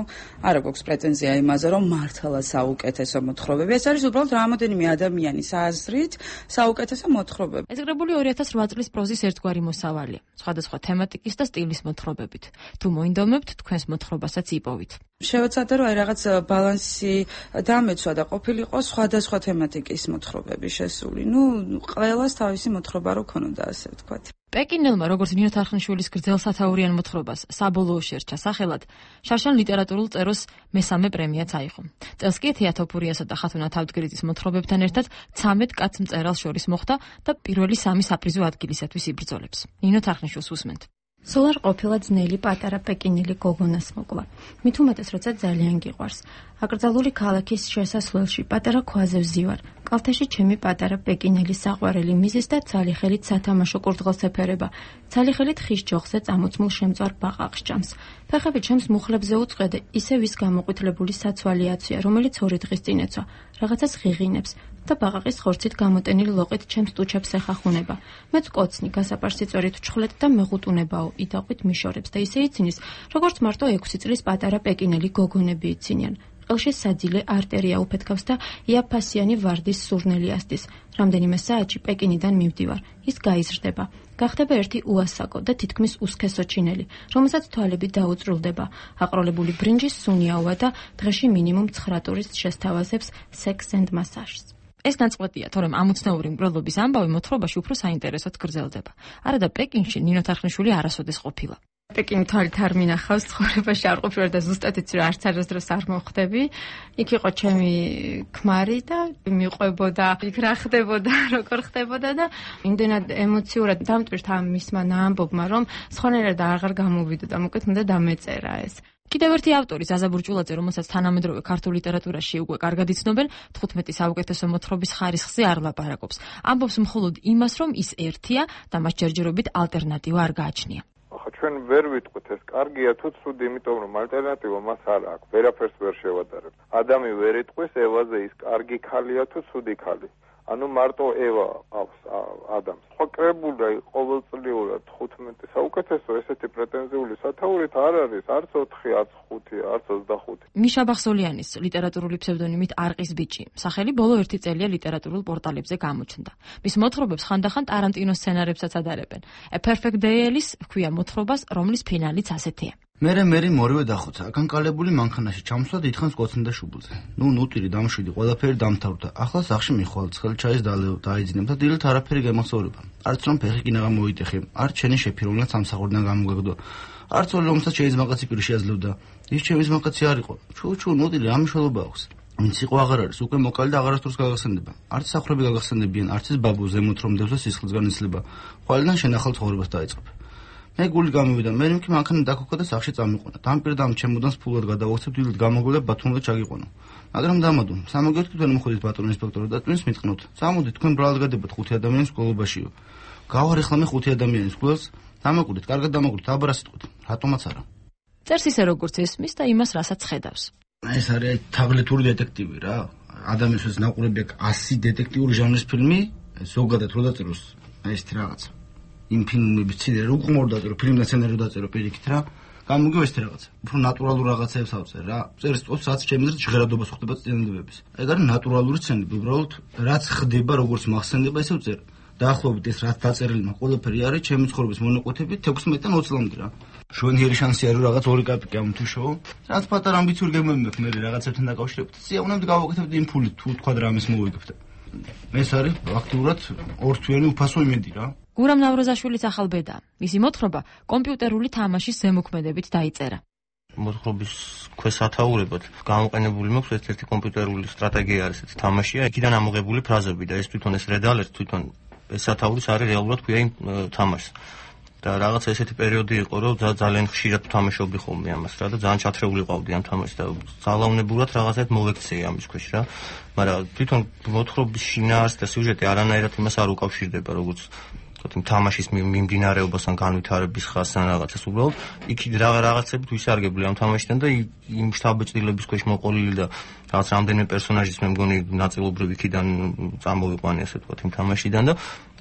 არ აქვს პრეტენზია იმაზე, რომ მართლა საუკეთესო მოთხრობები. ეს არის უბრალოდ რამდენიმე ადამიანის აზრით საუკეთესო მოთხრობები. ეს კრებული 2008 წლის პროზის ერთგვარი მოსავალია, სხვადასხვა თემატიკის და სტილის მოთხრობებით. თუ მოინდომებთ, თქვენს მოთხრობასაც იპოვით. შევეცადე, რომ რაღაც ბალანსი დამეცვა და ყოფილიყო სხვადასხვა თემატიკის მოთხრობები შესული. ყველას თავისი მოთხრობა რო ქონოდა, ასე ვთქვათ. პეკინელმა, როგორც ნინო თარხნიშვილის გრძელსათაურიან მოთხრობას საბოლოო შერჩა სახელად, შარშან ლიტერატურულ წეროს მესამე პრემიაც აიღო. წელს კი თეატოფურიასა და ხათუნა თავდგრიძის მოთხრობებთან ერთად 13 კაც მწერალს შორის მოხვდა და პირველი 3 საპრიზო ადგილისათვის იბრძოლებს. ნინო თარხნიშვილს უსმენთ. სულ არ ყოფილა ძნელი პატარა პეკინელი გოგონას მოკლა. მით უმეტეს, როცა ძალიან გიყვარს. აკრძალული ქალაქის შესასვლელში პატარა ქვაზე ვზივარ. კალთაში ჩემი პატარა პეკინელი საყვარელი მიზის და ცალიხელით სათამაშო კურდღელს ეფერება. ცალიხელით ხის ჯოხზე წამოწმულ შემწვარ ბაყაყს ჭამს. ფეხები ჩემს მუხლებზე უწყედა, ისე ვის გამოყვითლებული საცვალი აცვია, რომელიც 2 დღის წინ ეცვა. რაღაცას ღიღინებს და ბაყაყის ხორცით გამოტენილი ლოყით ჩემს ტუჩებს ეხახუნება. მეც კოცნი გასაპარსი წორით ვჩხლეთ და მეღუტუნებაო, იდაყვით მიშორებს და ისე იცინის, როგორც მარტო 6 წლის პატარა პეკინელი გოგონები იცინიან. ყელში საძილე არტერია უფეთქავს და იაფასიანი ვარდის სურნელი ასდის. რამდენიმე საათში პეკინიდან მივდივარ. ის გაიზრდება. გახდება ერთი უასაკო და თითქმის უსქესო ჩინელი, რომელსაც თვალები დაუწრულდება. აყროლებული ბრინჯის სუნიაოა და დღეში მინიმუმ 9 ტურისტს შესთავაზებს სექს and მასაჟს. ეს ნაწყვეტია, თორემ ამოცნაური მკვლელობის ამბავი მოთხრობაში უფრო საინტერესოდ გრძელდება. არადა პეკინში ნინო თარხნიშვილი არასოდეს ყოფილა. პეკინი თვალით არ მინახავს, ცხოვრებაში არ ყოფილი და ზუსტად იცი, რომ არც არასდროს არ მოხვდები. იქ იყო ჩემი ქმარი და მიყვებოდა, იქ რა ხდებოდა, როგორ ხდებოდა და იმდენად ემოციურად დამტვირთა მისმა ამბობმა, რომ სხვანაირად აღარ გამოვიდა და მოკლედ უნდა დამეწერა ეს. კიდევ ერთი ავტორი ზაზა ბურჭულაძე, რომელსაც თანამედროვე ქართულ ლიტერატურაში უკვე კარგად იცნობენ, 15 საუკეთესო მოთხრობის ხარისხზე არ ლაპარაკობს. ამბობს მხოლოდ იმას, რომ ის ერთია და მას ჯერჯერობით ალტერნატივა არ გააჩნია. ჩვენ ვერ ვიტყვით ეს კარგია თუ ცუდი, იმიტომ რომ ალტერნატივა მას არ აქვს. ვერაფერს ვერ შევადარებ. ადამი ვერ იტყვის ევაზე ის კარგი ქალია თუ ცუდი ქალი. ანუ მარტო ევა ყავს ადამს. ხო კრებული ყოველწლიურად 15 საუკეთესო ესეთი პრეტენზიული სათაურით არ არის, არც 4, არც 5, არც 25. მიშა ბახსოლიანის ლიტერატურული ფსევდონიმით არყის ბიჭი. სახელი ბოლო 1 წელია ლიტერატურულ პორტალებზე გამოჩნდა. მის მოთხრობებს ხანდახან ტარანტინოს სცენარებსაც ადარებენ. A Perfect Day-ის ჰქვია მოთხრობას, რომლის ფინალიც ასეთია. მერე მორივე დახოცა, აკანკალებული მანქანაში ჩამსვა დიდხანს კოცნიდა შუბლზე. ნუტირი დამშვიდი, ყველაფერი დამთავრდა. ახლა სახში მიხვალ, ცხელ ჩაის დაიძინებ და დილით არაფერი გამოსაურება. არც რომ ფეხი კინაღა მოიტეხე, არც ჩენი შეფი, რომელსაც სამსახურიდან გამოგეგდო. არც ორი რომელსაც შეიზმაღაცი პირი შეაძლევდა. ის ჩემის მაღაცი არ იყო. ჩუ ნუტირი რა მნიშვნელობა აქვს? ვინც იყო აღარ არის, უკვე მოკალი და აღარასდროს გაგახსენდება. არც სახლები გაგახსენებიან, არც ის ბაბუ ზემოთ რომ დევს და სისხლისგან იცლება. ხვალიდან შენახალ ცხოვრებას დაიწყებ. მე გული გამივიდა, მე მქი მანქანა დაქოქა და სახში წამიყვანა. დამპირდამ ჩემოდანს ფულად გადავახცებ, დილით გამოგვიდა ბათუმზე ჩაგიყვანა. მაგრამ დამადო, სამოგეთ თქვენ მოხდით ბატონ ინსპექტორი და twins მიტყნოთ. სამოდით თქვენ ბრალად გადაგებთ 5 ადამიანის სკოლობაშიო. გავარეხლა მე 5 ადამიანის სკოლას, დამაკვირდით, კარგად დამაკვირდით, აბარა სიტყვით. რატომაც არა. წერს ისე როგორც ესმის და იმას რასაც ხედავს. ეს არის თაღლითური დეტექტივი რა. ადამიანს ნაყურები აქვს 100 დეტექტიური ჟანრის ფილმი, ზოგადად რო დაწეროს, აი ეს რაღაცა. იმ ფილმების ციდან რო უყმორ დაწერო, ფილმიდან სცენარი დაწერო პირიქით რა. გამოგივა ეს რაღაცა. უფრო ნატურალურ რაღაცებს ავწერ რა. წერს ტოპს რაც ჩემს ჟღერადობას ხდება წინდებების. ეგ არის ნატურალური სცენები, უბრალოდ რაც ხდება, როგორც მახსენდება, ისე ვწერ. დაახლოებით ეს რაც დაწერილი მაქვს, ყველაფერი არის ჩემი ცხოვრების მონაკვეთები 16-დან 20 წლამდე რა. შვენიერი შანსი არის რაღაც 2 კაპიკი ამ თუ შოუ. რაც პატარა ამბიციური გემები მაქვს მე რაღაცებთან დაკავშირებით. სიამოვნებდი გავაკეთებდი იმ ფულით თუ თქვა რამის მოვიგებთ. ეს არის აქტიურად ორთვიანი უფასო იმედი რა. გურამ ნავროზაშვილის ახალბედა. მისი მოთხრობა კომპიუტერული თამაშის ზემოქმედებით დაიწერა. მოთხრობის ქვესათაურებად გამოყენებული მაქვს ერთ-ერთი კომპიუტერული სტრატეგია არის ეს თამაშია. იქიდან ამოღებული ფრაზები და ეს თვითონ ეს რედალერ თვითონ ეს სათაურის არის რეალურად ქვია იმ თამაშს. და რაღაცა ესეთი პერიოდი იყო, რომ ძალიან ხშირად თამაშობდი ხოლმე ამას რა და ძალიან ჩათრეული ყავდი ამ თამაშს და ძალაუნებურად რაღაცად მოვექცეი ამის ქვეშ რა. მაგრამ თვითონ მოთხრობის შინაარსი და სიუჟეტი არანაირად იმას არ უკავშირდება, როგორც ვთქვათ, იმ თამაშის მიმდინარეობას ან განვითარების ხასს ან რაღაცას უბრალოდ იქ რაღაცები თუ ისარგებლე ამ თამაშიდან და იმ შთაბეჭდილების ქვეშ მოყოლილი და რაღაც რამდენიმე პერსონაჟის მე მგონი ნაწილობრივ იქიდან წამოვიყვანი ასე ვთქვათ იმ თამაშიდან და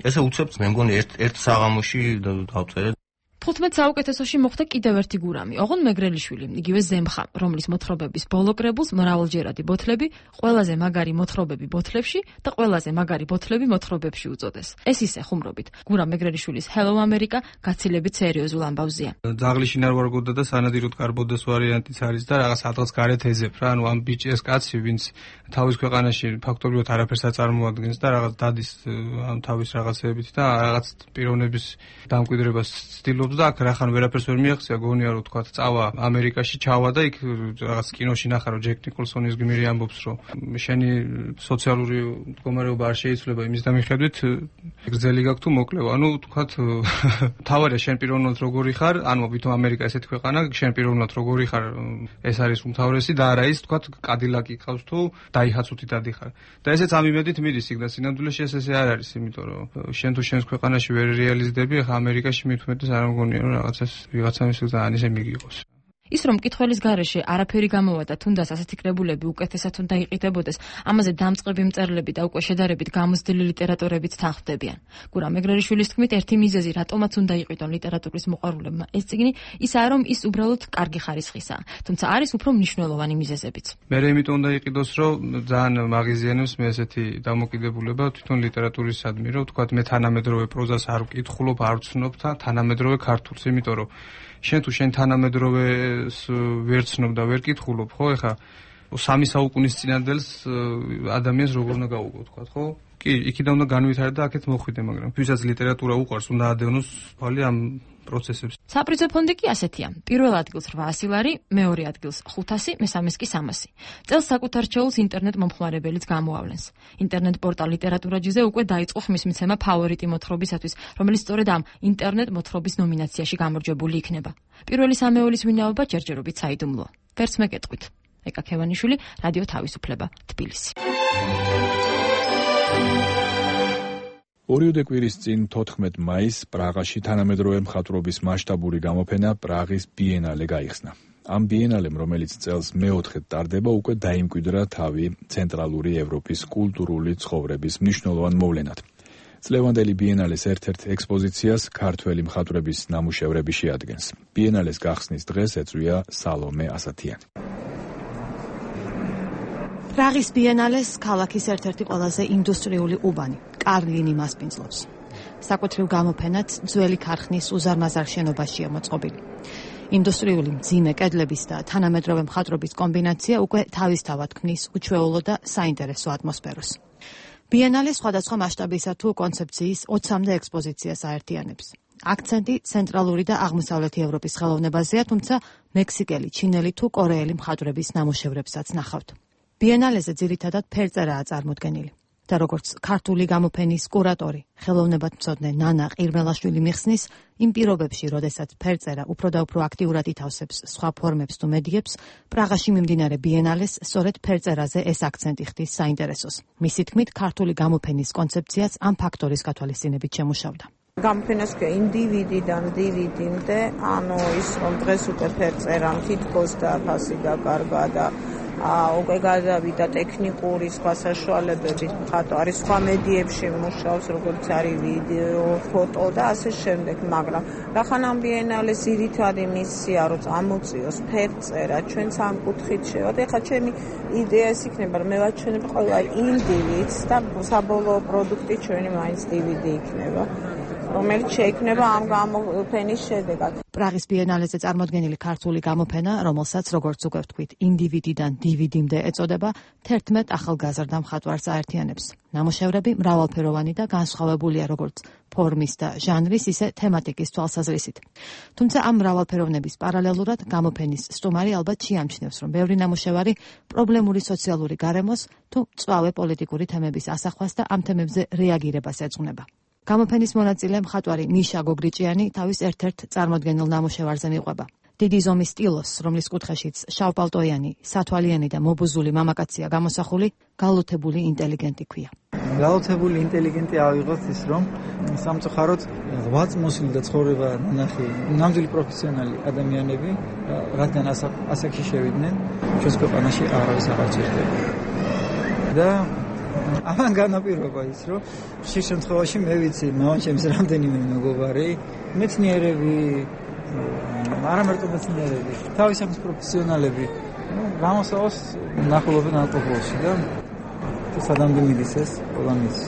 ესე უცებ მე მგონი ერთ საღამოში დავწერე 15 საუკეთესოში მოხდა კიდევ ერთი გურამი, ოღონ მეგრელიშვილი, იგივე ზემხა, რომლის მოთხრობების ბოლო კრებულს მრავალჯერადი ბოთლები, ყველაზე მაგარი მოთხრობები ბოთლებში და ყველაზე მაგარი ბოთლები მოთხრობებში უწოდეს. ეს ისე ხუმრობით. გურამ მეგრელიშვილის Hello America გაცილებით სერიოზულ ამბავზეა. ძაღლიშინ არ ვარგოდა და სანადიროდ კარბოდეს ვარიანტიც არის და რაღაც ათღაც გარეთ ეზებ რა, ანუ ამ ბიჭის კაცი, ვინც თავის ქვეყანაში ფაქტობრივად არაფერს აწარმოადგენს და რაღაც დადის ამ თავის რაღაცეებით და რაღაც პიროვნების დამკვიდრებას ცდილობს და აქ რახან ვერაფერს ვერ მიაღწია, გონია რომ თქვა წავა ამერიკაში, ჩავა და იქ რაღაც კინოში ნახა რომ ჯეკ ნიკოლსონის გმირი ამბობს რომ შენი სოციალური მდგომარეობა არ შეიძლება იმის დამიხედვით გრძელი გაქვს თუ მოკლევა. ანუ თქვა თავარია შენ პიროვნულად როგორი ხარ, ანუ ვითომ ამერიკა ესეთი ქვეყანა, შენ პიროვნულად როგორი ხარ, ეს არის უმთავრესი და არა ის თქვა კადილაკი ყავს თუ დაიჰაცუთი დადიხარ. და ესეც ამ იმედით მიდის იქ და სინამდვილეში ესე არ არის, იმიტომ რომ შენ თუ შენს ქვეყანაში ვერ რეალიზდები, ახლა ამერიკაში მithumetes არ მგონია რომ რაღაცას ვიღაცამის ძალიან ისე მიგიყოს. ის რომ მკითხველის გარეშე არაფერი გამოვა და თუნდაც ასეთი კრებულები უკეთესად უნდა იყიდებოდეს, ამაზე დამწყები მწერლები და უკვე შედარებით გამოცდილი ლიტერატორებიც თანხმდებიან. გურამ მეგრელიშვილის თქმით, ერთი მიზეზი, რატომაც უნდა იყიდონ ლიტერატურის მოყვარულებმა ეს წიგნი, ისაა რომ ის უბრალოდ კარგი ხარისხისაა, თუმცა არის უფრო მნიშვნელოვანი მიზეზებიც. მე იმიტომ უნდა იყიდოს, რომ ძალიან მაღიზიანებს მე ესეთი დამოკიდებულება თვითონ ლიტერატურისადმი, რომ თქვა მე თანამედროვე პროზას არ ვკითხულობ, არ ვცნობ და თანამედროვე ქართულს, იმიტომ რომ შენ თუ შენ თანამედროვეს ვერ ცნობ და ვერ კითხულობ, ხო, ეხა 3 საუკუნის წინანდელს ადამიანს როგორ უნდა გაუგო, თქვა, ხო? კი, იქიდან უნდა განვითარდეს და აქეთ მოხვიდე, მაგრამ ვისაც ლიტერატურა უყვარს, უნდა ადევნოს თვალი ამ პროცესებს. საპრიზო ფონდი კი ასეთია. პირველ ადგილს 800 ლარი, მეორე ადგილს 500, მესამეს კი 300. წელს საკუთარ რჩეულს ინტერნეტ მომხმარებელიც გამოავლენს. ინტერნეტ პორტალ ლიტერატურაჯიზე უკვე დაიწყო ხმის მიცემა ფავორიტი მოთხრობისათვის, რომელიც სწორედ ამ ინტერნეტ მოთხრობის ნომინაციაში გამარჯვებული იქნება. პირველი სამეულის ვინაობა ჯერჯერობით საიდუმლოა. ვერც მეკეთყვით. ეკა ქევანიშვილი, რადიო თავისუფლება, თბილისი. ორიოდე კვირის წინ 14 მაისს პრაღაში თანამედროვე მხატვრობის მასშტაბური გამოფენა პრაღის ბიენალე გაიხსნა. ამ ბიენალემ, რომელიც წელს მეოთხედ ტარდება, უკვე დაიმკვიდრა თავი ცენტრალური ევროპის კულტურული ცხოვრების მნიშვნელოვან მოვლენად. წლევანდელი ბიენალეს ერთ-ერთ ექსპოზიციას ქართველი მხატვრების ნამუშევრები შეადგენს. ბიენალეს გახსნის დღეს ეწვია სალომე ასათიანი. პრაღის ბიენალეს ქალაქის ერთ-ერთი ყველაზე ინდუსტრიული უბანი, კარლინი მასპინძლობს. საკუთრივ გამოფენად ძველი ქარხნის უზარმაზარ შენობაშია მოწყობილი. ინდუსტრიული მძიმე კედლების და თანამედროვე მხატვრობის კომბინაცია უკვე თავისთავად ქმნის უჩვეულო და საინტერესო ატმოსფეროს. ბიენალე სხვადასხვა მასშტაბისა თუ კონცეფციის 20-მდე ექსპოზიციას აერთიანებს. აქცენტი ცენტრალური და აღმოსავლეთი ევროპის ხელოვნებაზეა, თუმცა მექსიკელი, ჩინელი თუ კორეელი მხატვრების ნამუშევრებსაც ნახავთ. ბიენალეზე ძირითადად ფერწერაა წარმოდგენილი. და როგორც ქართული გამოფენის კურატორი, ხელოვნებათმცოდნე ნანა ყირმელაშვილი მიხსნის, იმ პირობებში, როდესაც ფერწერა უფრო და უფრო აქტიურად ითავსებს სხვა ფორმებს თუ მედიებს, პრაღაში მიმდინარე ბიენალეს სწორედ ფერწერაზე ეს აქცენტი ხდის საინტერესოს. მისი თქმით, ქართული გამოფენის კონცეფციაც ამ ფაქტორის გათვალისწინებით შემუშავდა. გამოფენას ქვია ინდივიდიდან დივიდამდე, ანუ ის რომ დღეს უკვე ფერწერამ თითქოს და ფასი დაკარგა და უკვე გადავიდა ტექნიკური სხვა საშუალებებით, მხატვარი სხვა მედიებში მუშაობს, როგორც არის ვიდეო, ფოტო და ასე შემდეგ, მაგრამ რახან ამ ბიენალეს ძირითადი მისია რომ წამოწიოს ფერწერა ჩვენც ამ კუთხით შევად. ეხლა ჩემი იდეა ის იქნება, რომ მე ვაჩვენებ ყველა ინდივიდს და საბოლოო პროდუქტი ჩვენი მაინც DVD იქნება, რომელიც შეიქმნება ამ გამოფენის შედეგად. პრაღის ბიენალეზე წარმოდგენილი ქართული გამოფენა, რომელსაც როგორც უკვე ვთქვით, ინდივიდიდან DVD-მდე ეწოდება, 11 ახალგაზრდა მხატვარს აერთიანებს. ნამუშევრები მრავალფეროვანი და განსხვავებულია როგორც ფორმის და ჟანრის, ისე თემატიკის თვალსაზრისით. თუმცა ამ მრავალფეროვნების პარალელურად გამოფენის სტუმარი ალბათ შეამჩნევს, რომ ბევრი ნამუშევარი პრობლემური სოციალური გარემოს თუ მწვავე პოლიტიკური თემების ასახვას და ამ თემებზე რეაგირებას ეძღვნება. გამოფენის მონაწილე მხატვარი მიშა გოგრიჭიანი თავის ერთ-ერთ წარმოდგენილ ნამუშევარზე მიყვება. დიდი ზომის სტილოს, რომლის კუთხეშიც შავპალტოიანი, სათვალიანი და მობუზული მამაკაცია გამოსახული, გალუთებული ინტელიგენტი ქვია. გაოცებული ინტელიგენტი ავიღოთ ის რომ სამწუხაროდ 8 წმოსილი და ცხოვრება ნახი ნამდვილი პროფესიონალი ადამიანები რადგან ასაკში შევიდნენ ჩვენს ქვეყანაში არავის აღარ ჭირდება და ამან განაპირობა ის რომ ხშირ შემთხვევაში მე ვიცი მამაჩემის რამდენიმე მეგობარი მეცნიერები არა მარტო მეცნიერები თავის საქმის პროფესიონალები გამოსავალს ნახულობენ ალკოჰოლში და სადამდე მიდის ეს ყველამის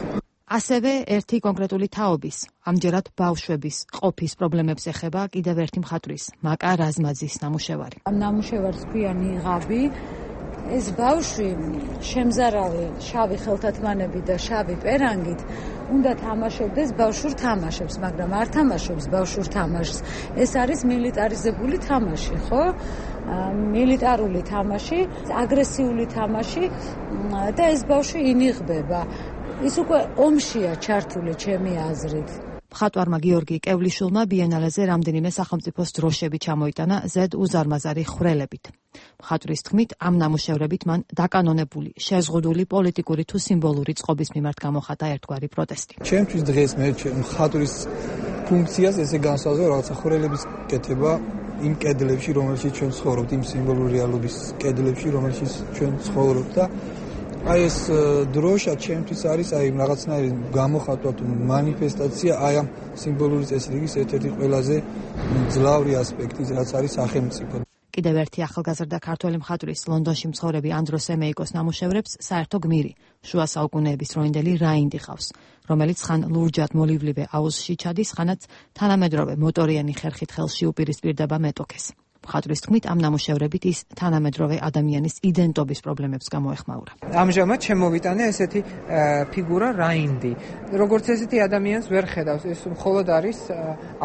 ასევე ერთი კონკრეტული თაობის ამჯერად ბავშვების ყოფის პრობლემებს ეხება კიდევ ერთი მხატვრის მაკა რაზმაძის ნამუშევარი ამ ნამუშევარს ქვია ნიღაბი ეს ბავშვი შემზარავი შავი ხელთათმანები და შავი პერანგით უნდა თამაშობდეს ბავშვურ თამაშებს, მაგრამ არ თამაშობს ბავშვურ თამაშს. ეს არის მილიტარიზებული თამაში, ხო? მილიტარული თამაში, აგრესიული თამაში და ეს ბავშვი ინიღბება. ის უკვე ომშია ჩართული ჩემი აზრით. მხატვარმა გიორგი კევლიშვილმა ბიენალეზე რამდენიმე სახელმწიფოს დროშები ჩამოიტანა ზედ უზარმაზარი ხვრელებით. მხატვრის თქმით, ამ ნამუშევრებით მან დაკანონებული, შეზღუდული პოლიტიკური თუ სიმბოლური წყობის მიმართ გამოხატა ერთგვარი პროტესტი. ჩემთვის დღეს მე მხატვრის ფუნქციას ესე განსაზღვრა რაღაცა ხვრელების კეთება იმ კედლებში, რომელშიც ჩვენ ცხოვრობთ, იმ სიმბოლური რეალობის კედლებში, რომელშიც ჩვენ ცხოვრობთ და აი ეს დროშა ჩემთვის არის აი რაღაცნაირი გამოხატვა თუ მანიფესტაცია აი ამ სიმბოლური წესრიგის ერთ-ერთი ყველაზე მძლავრი ასპექტი, რაც არის სახელმწიფო. კიდევ ერთი ახალგაზრდა ქართველი მხატვრის ლონდონში მცხოვრები ანდროს ემეიკოს ნამუშევრებს საერთო გმირი, შუა საუკუნეების დროინდელი რაინდი ყავს, რომელიც ხან ლურჯად მოლივლივე აუზში ჩადის, ხანაც თანამედროვე მოტორიანი ხერხით ხელში უპირისპირდება მეტოქეს. მხატვრის თქმით, ამ ნამუშევრებით ის თანამედროვე ადამიანის იდენტობის პრობლემებს გამოეხმაურა. ამჟამად შემოვიტანე ესეთი ფიგურა რაინდი. როგორც ესეთი ადამიანს ვერ ხედავს, ეს მხოლოდ არის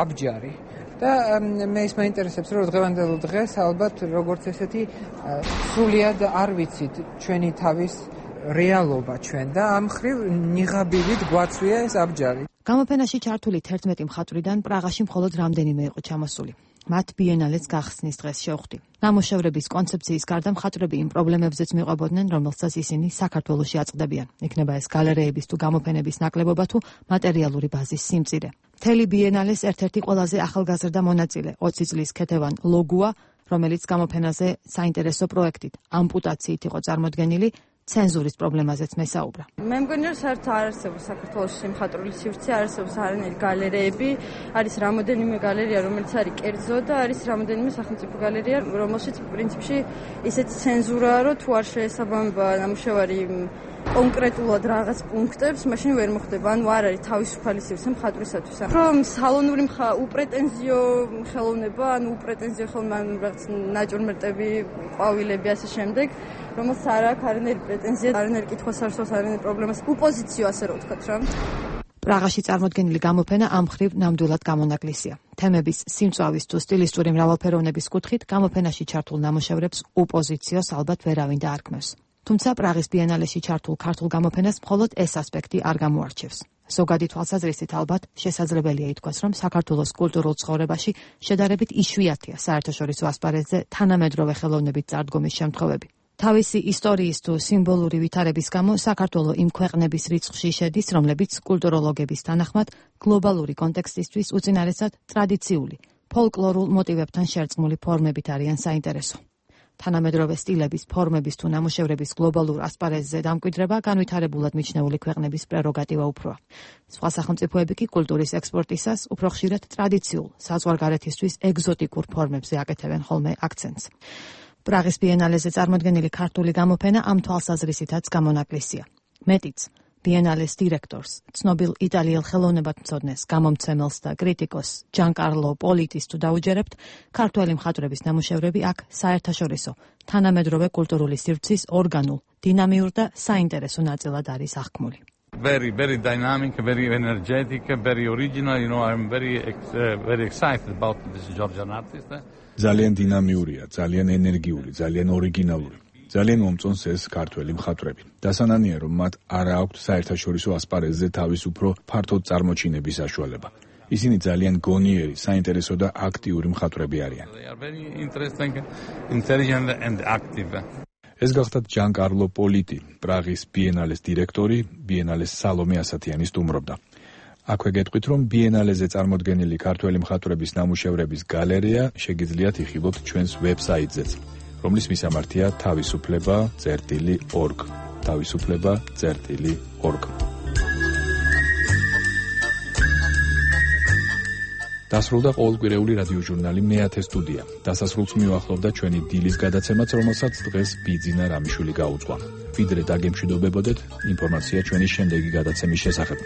აბჯარი. და მე ის მაინტერესებს, რომ დღევანდელ დღეს ალბათ როგორც ესეთი სრულიად არ ვიცით ჩვენი თავის რეალობა ჩვენ და ამ ხრივ ნიღაბივით გვაცვია ეს აბჯარი. გამოფენაში ჩართული 11 მხატვრიდან პრაღაში მხოლოდ რამდენიმე იყო ჩამოსული. მათ ბიენალეს გახსნის დღეს შევხვდი. ნამუშევრების კონცეფციის გარდა მხატვრები იმ პრობლემებზეც მიყვებოდნენ, რომელსაც ისინი საქართველოში აწყდებიან. იქნება ეს გალერეების თუ გამოფენების ნაკლებობა თუ მატერიალური ბაზის სიმწირე. მთელი ბიენალეს ერთ-ერთი ყველაზე ახალგაზრდა მონაწილე 20 წლის ქეთევან ლოგუა, რომელიც გამოფენაზე საინტერესო პროექტით ამპუტაციით იყო წარმოდგენილი, ცენზურის პრობლემაზეც მესაუბრა. მე მგონი რომ საერთოდ არ არსებობს საქართველოს სიმხატვრული სივრცე, არ არსებობს არანაირი გალერეები, არის რამოდენიმე გალერეა, რომელიც არის კერძო და არის რამოდენიმე სახელმწიფო გალერეა, რომელშიც პრინციპში ისეთი ცენზურაა, რომ თუ არ შეესაბამება ნამუშევარი კონკრეტულად რაღაც პუნქტებს, მაშინ ვერ მოხდება, ანუ არ არის თავისუფალი სივრცე მხატვრისათვის. რომ სალონური უპრეტენზიო ხელოვნება, ანუ უპრეტენზიო ხელოვნება, რაღაც ნაჭურმერტები, ყვავილები ასე შემდეგ, რომელსაც არ აქვს არანაირი პრეტენზია, არანაირი კითხვას არ სვავს, არანაირი პრობლემას, უპოზიციო ასე რომ ვთქვათ რა. პრაღაში წარმოდგენილი გამოფენა ამ ხრივ ნამდვილად გამონაკლისია. თემების სიმწვავის თუ სტილისტური მრავალფეროვნების კუთხით გამოფენაში ჩართულ ნამუშევრებს უპოზიციოს ალბათ ვერავინ დაარქმევს. თუმცა პრაღის ბიენალეში ჩართულ ქართულ გამოფენას მხოლოდ ეს ასპექტი არ გამოარჩევს. ზოგადი თვალსაზრისით ალბათ შესაძლებელია ითქვას, რომ საქართველოს კულტურულ ცხოვრებაში შედარებით იშვიათია საერთაშორისო ასპარეზზე თანამედროვე ხელოვნებით წარდგომის შემთხვევები. თავისი ისტორიის თუ სიმბოლური ვითარების გამო საქართველო იმ ქვეყნების რიცხვში შედის, რომლებიც კულტუროლოგების თანახმად გლობალური კონტექსტისთვის უწინარესად ტრადიციული, ფოლკლორულ მოტივებთან შერწყმული ფორმებით არიან საინტერესო. თანამედროვე სტილების, ფორმების თუ ნამუშევრების გლობალურ ასპარეზზე დამკვიდრება განვითარებულად მიჩნეული ქვეყნების პრეროგატივა უფროა. სხვა სახელმწიფოები კი კულტურის ექსპორტისას უფრო ხშირად ტრადიციულ, საზღვარგარეთისთვის ეგზოტიკურ ფორმებზე აკეთებენ ხოლმე აქცენტს. პრაღის ბიენალეზე წარმოდგენილი ქართული გამოფენა ამ თვალსაზრისითაც გამონაკლისია. მეტიც, ბიენალეს დირექტორს, ცნობილ იტალიელ ხელოვნებათმცოდნეს, გამომცემელს და კრიტიკოს ჯანკარლო პოლიტის თუ დაუჯერებთ, ქართველი მხატვრების ნამუშევრები აქ საერთაშორისო, თანამედროვე კულტურული სივრცის ორგანულ, დინამიურ და საინტერესო ნაწილად არის აღქმული. Very dynamic, very energetic, very original. You know, I'm very excited about this Georgian artist. ძალიან დინამიურია, ძალიან ენერგიული, ძალიან ორიგინალური. ძალიან მომწონს ეს ქართველი მხატვრები. დასანანია, რომ მათ არ აქვთ საერთაშორისო ასპარეზზე თავის უფრო ფართოდ წარმოჩინების საშუალება. ისინი ძალიან გონიერი, საინტერესო და აქტიური მხატვრები არიან. They are very interesting, intelligent and active. ეს გახდათ ჯან-კარლო პოლიტი, პრაღის ბიენალეს დირექტორი, ბიენალეს სალომე ასათიანი სტუმრობდა. აქვე გეტყვით, რომ ბიენალეზე წარმოდგენილი ქართველი მხატვრების ნამუშევრების გალერეა შეგიძლიათ იხილოთ ჩვენს ვებსაიტზეც, რომლის მისამართია თავისუფლება.org. თავისუფლება.org. დასრულდა ყოველკვირეული რადიოჟურნალი მე-10 სტუდია. დასასრულს მიუახლოვდა ჩვენი დილის გადაცემაც, რომელსაც დღეს ბიძინა რამიშვილი გაუძღვა. ვიდრე დაგემშვიდობებოდეთ, ინფორმაცია ჩვენი შემდეგი გადაცემის შესახებ.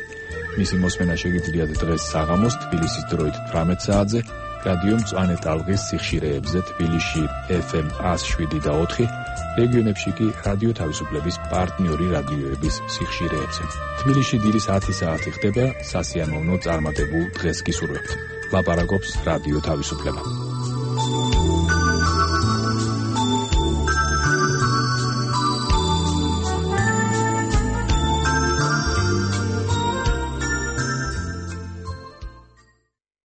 მისი მოსმენა შეგიძლიათ დღეს საღამოს თბილისის დროით 18 საათზე, რადიო მწვანე ტალღის სიხშირეებზე თბილისში FM 107.4, რეგიონებში კი რადიო თავისუფლების პარტნიორი რადიოების სიხშირეებზე. თბილისში დილის 10 საათი ხდება, სასიამოვნო წარმატებულ დღეს გისურვებთ. ლაპარაკობს რადიო თავისუფლება.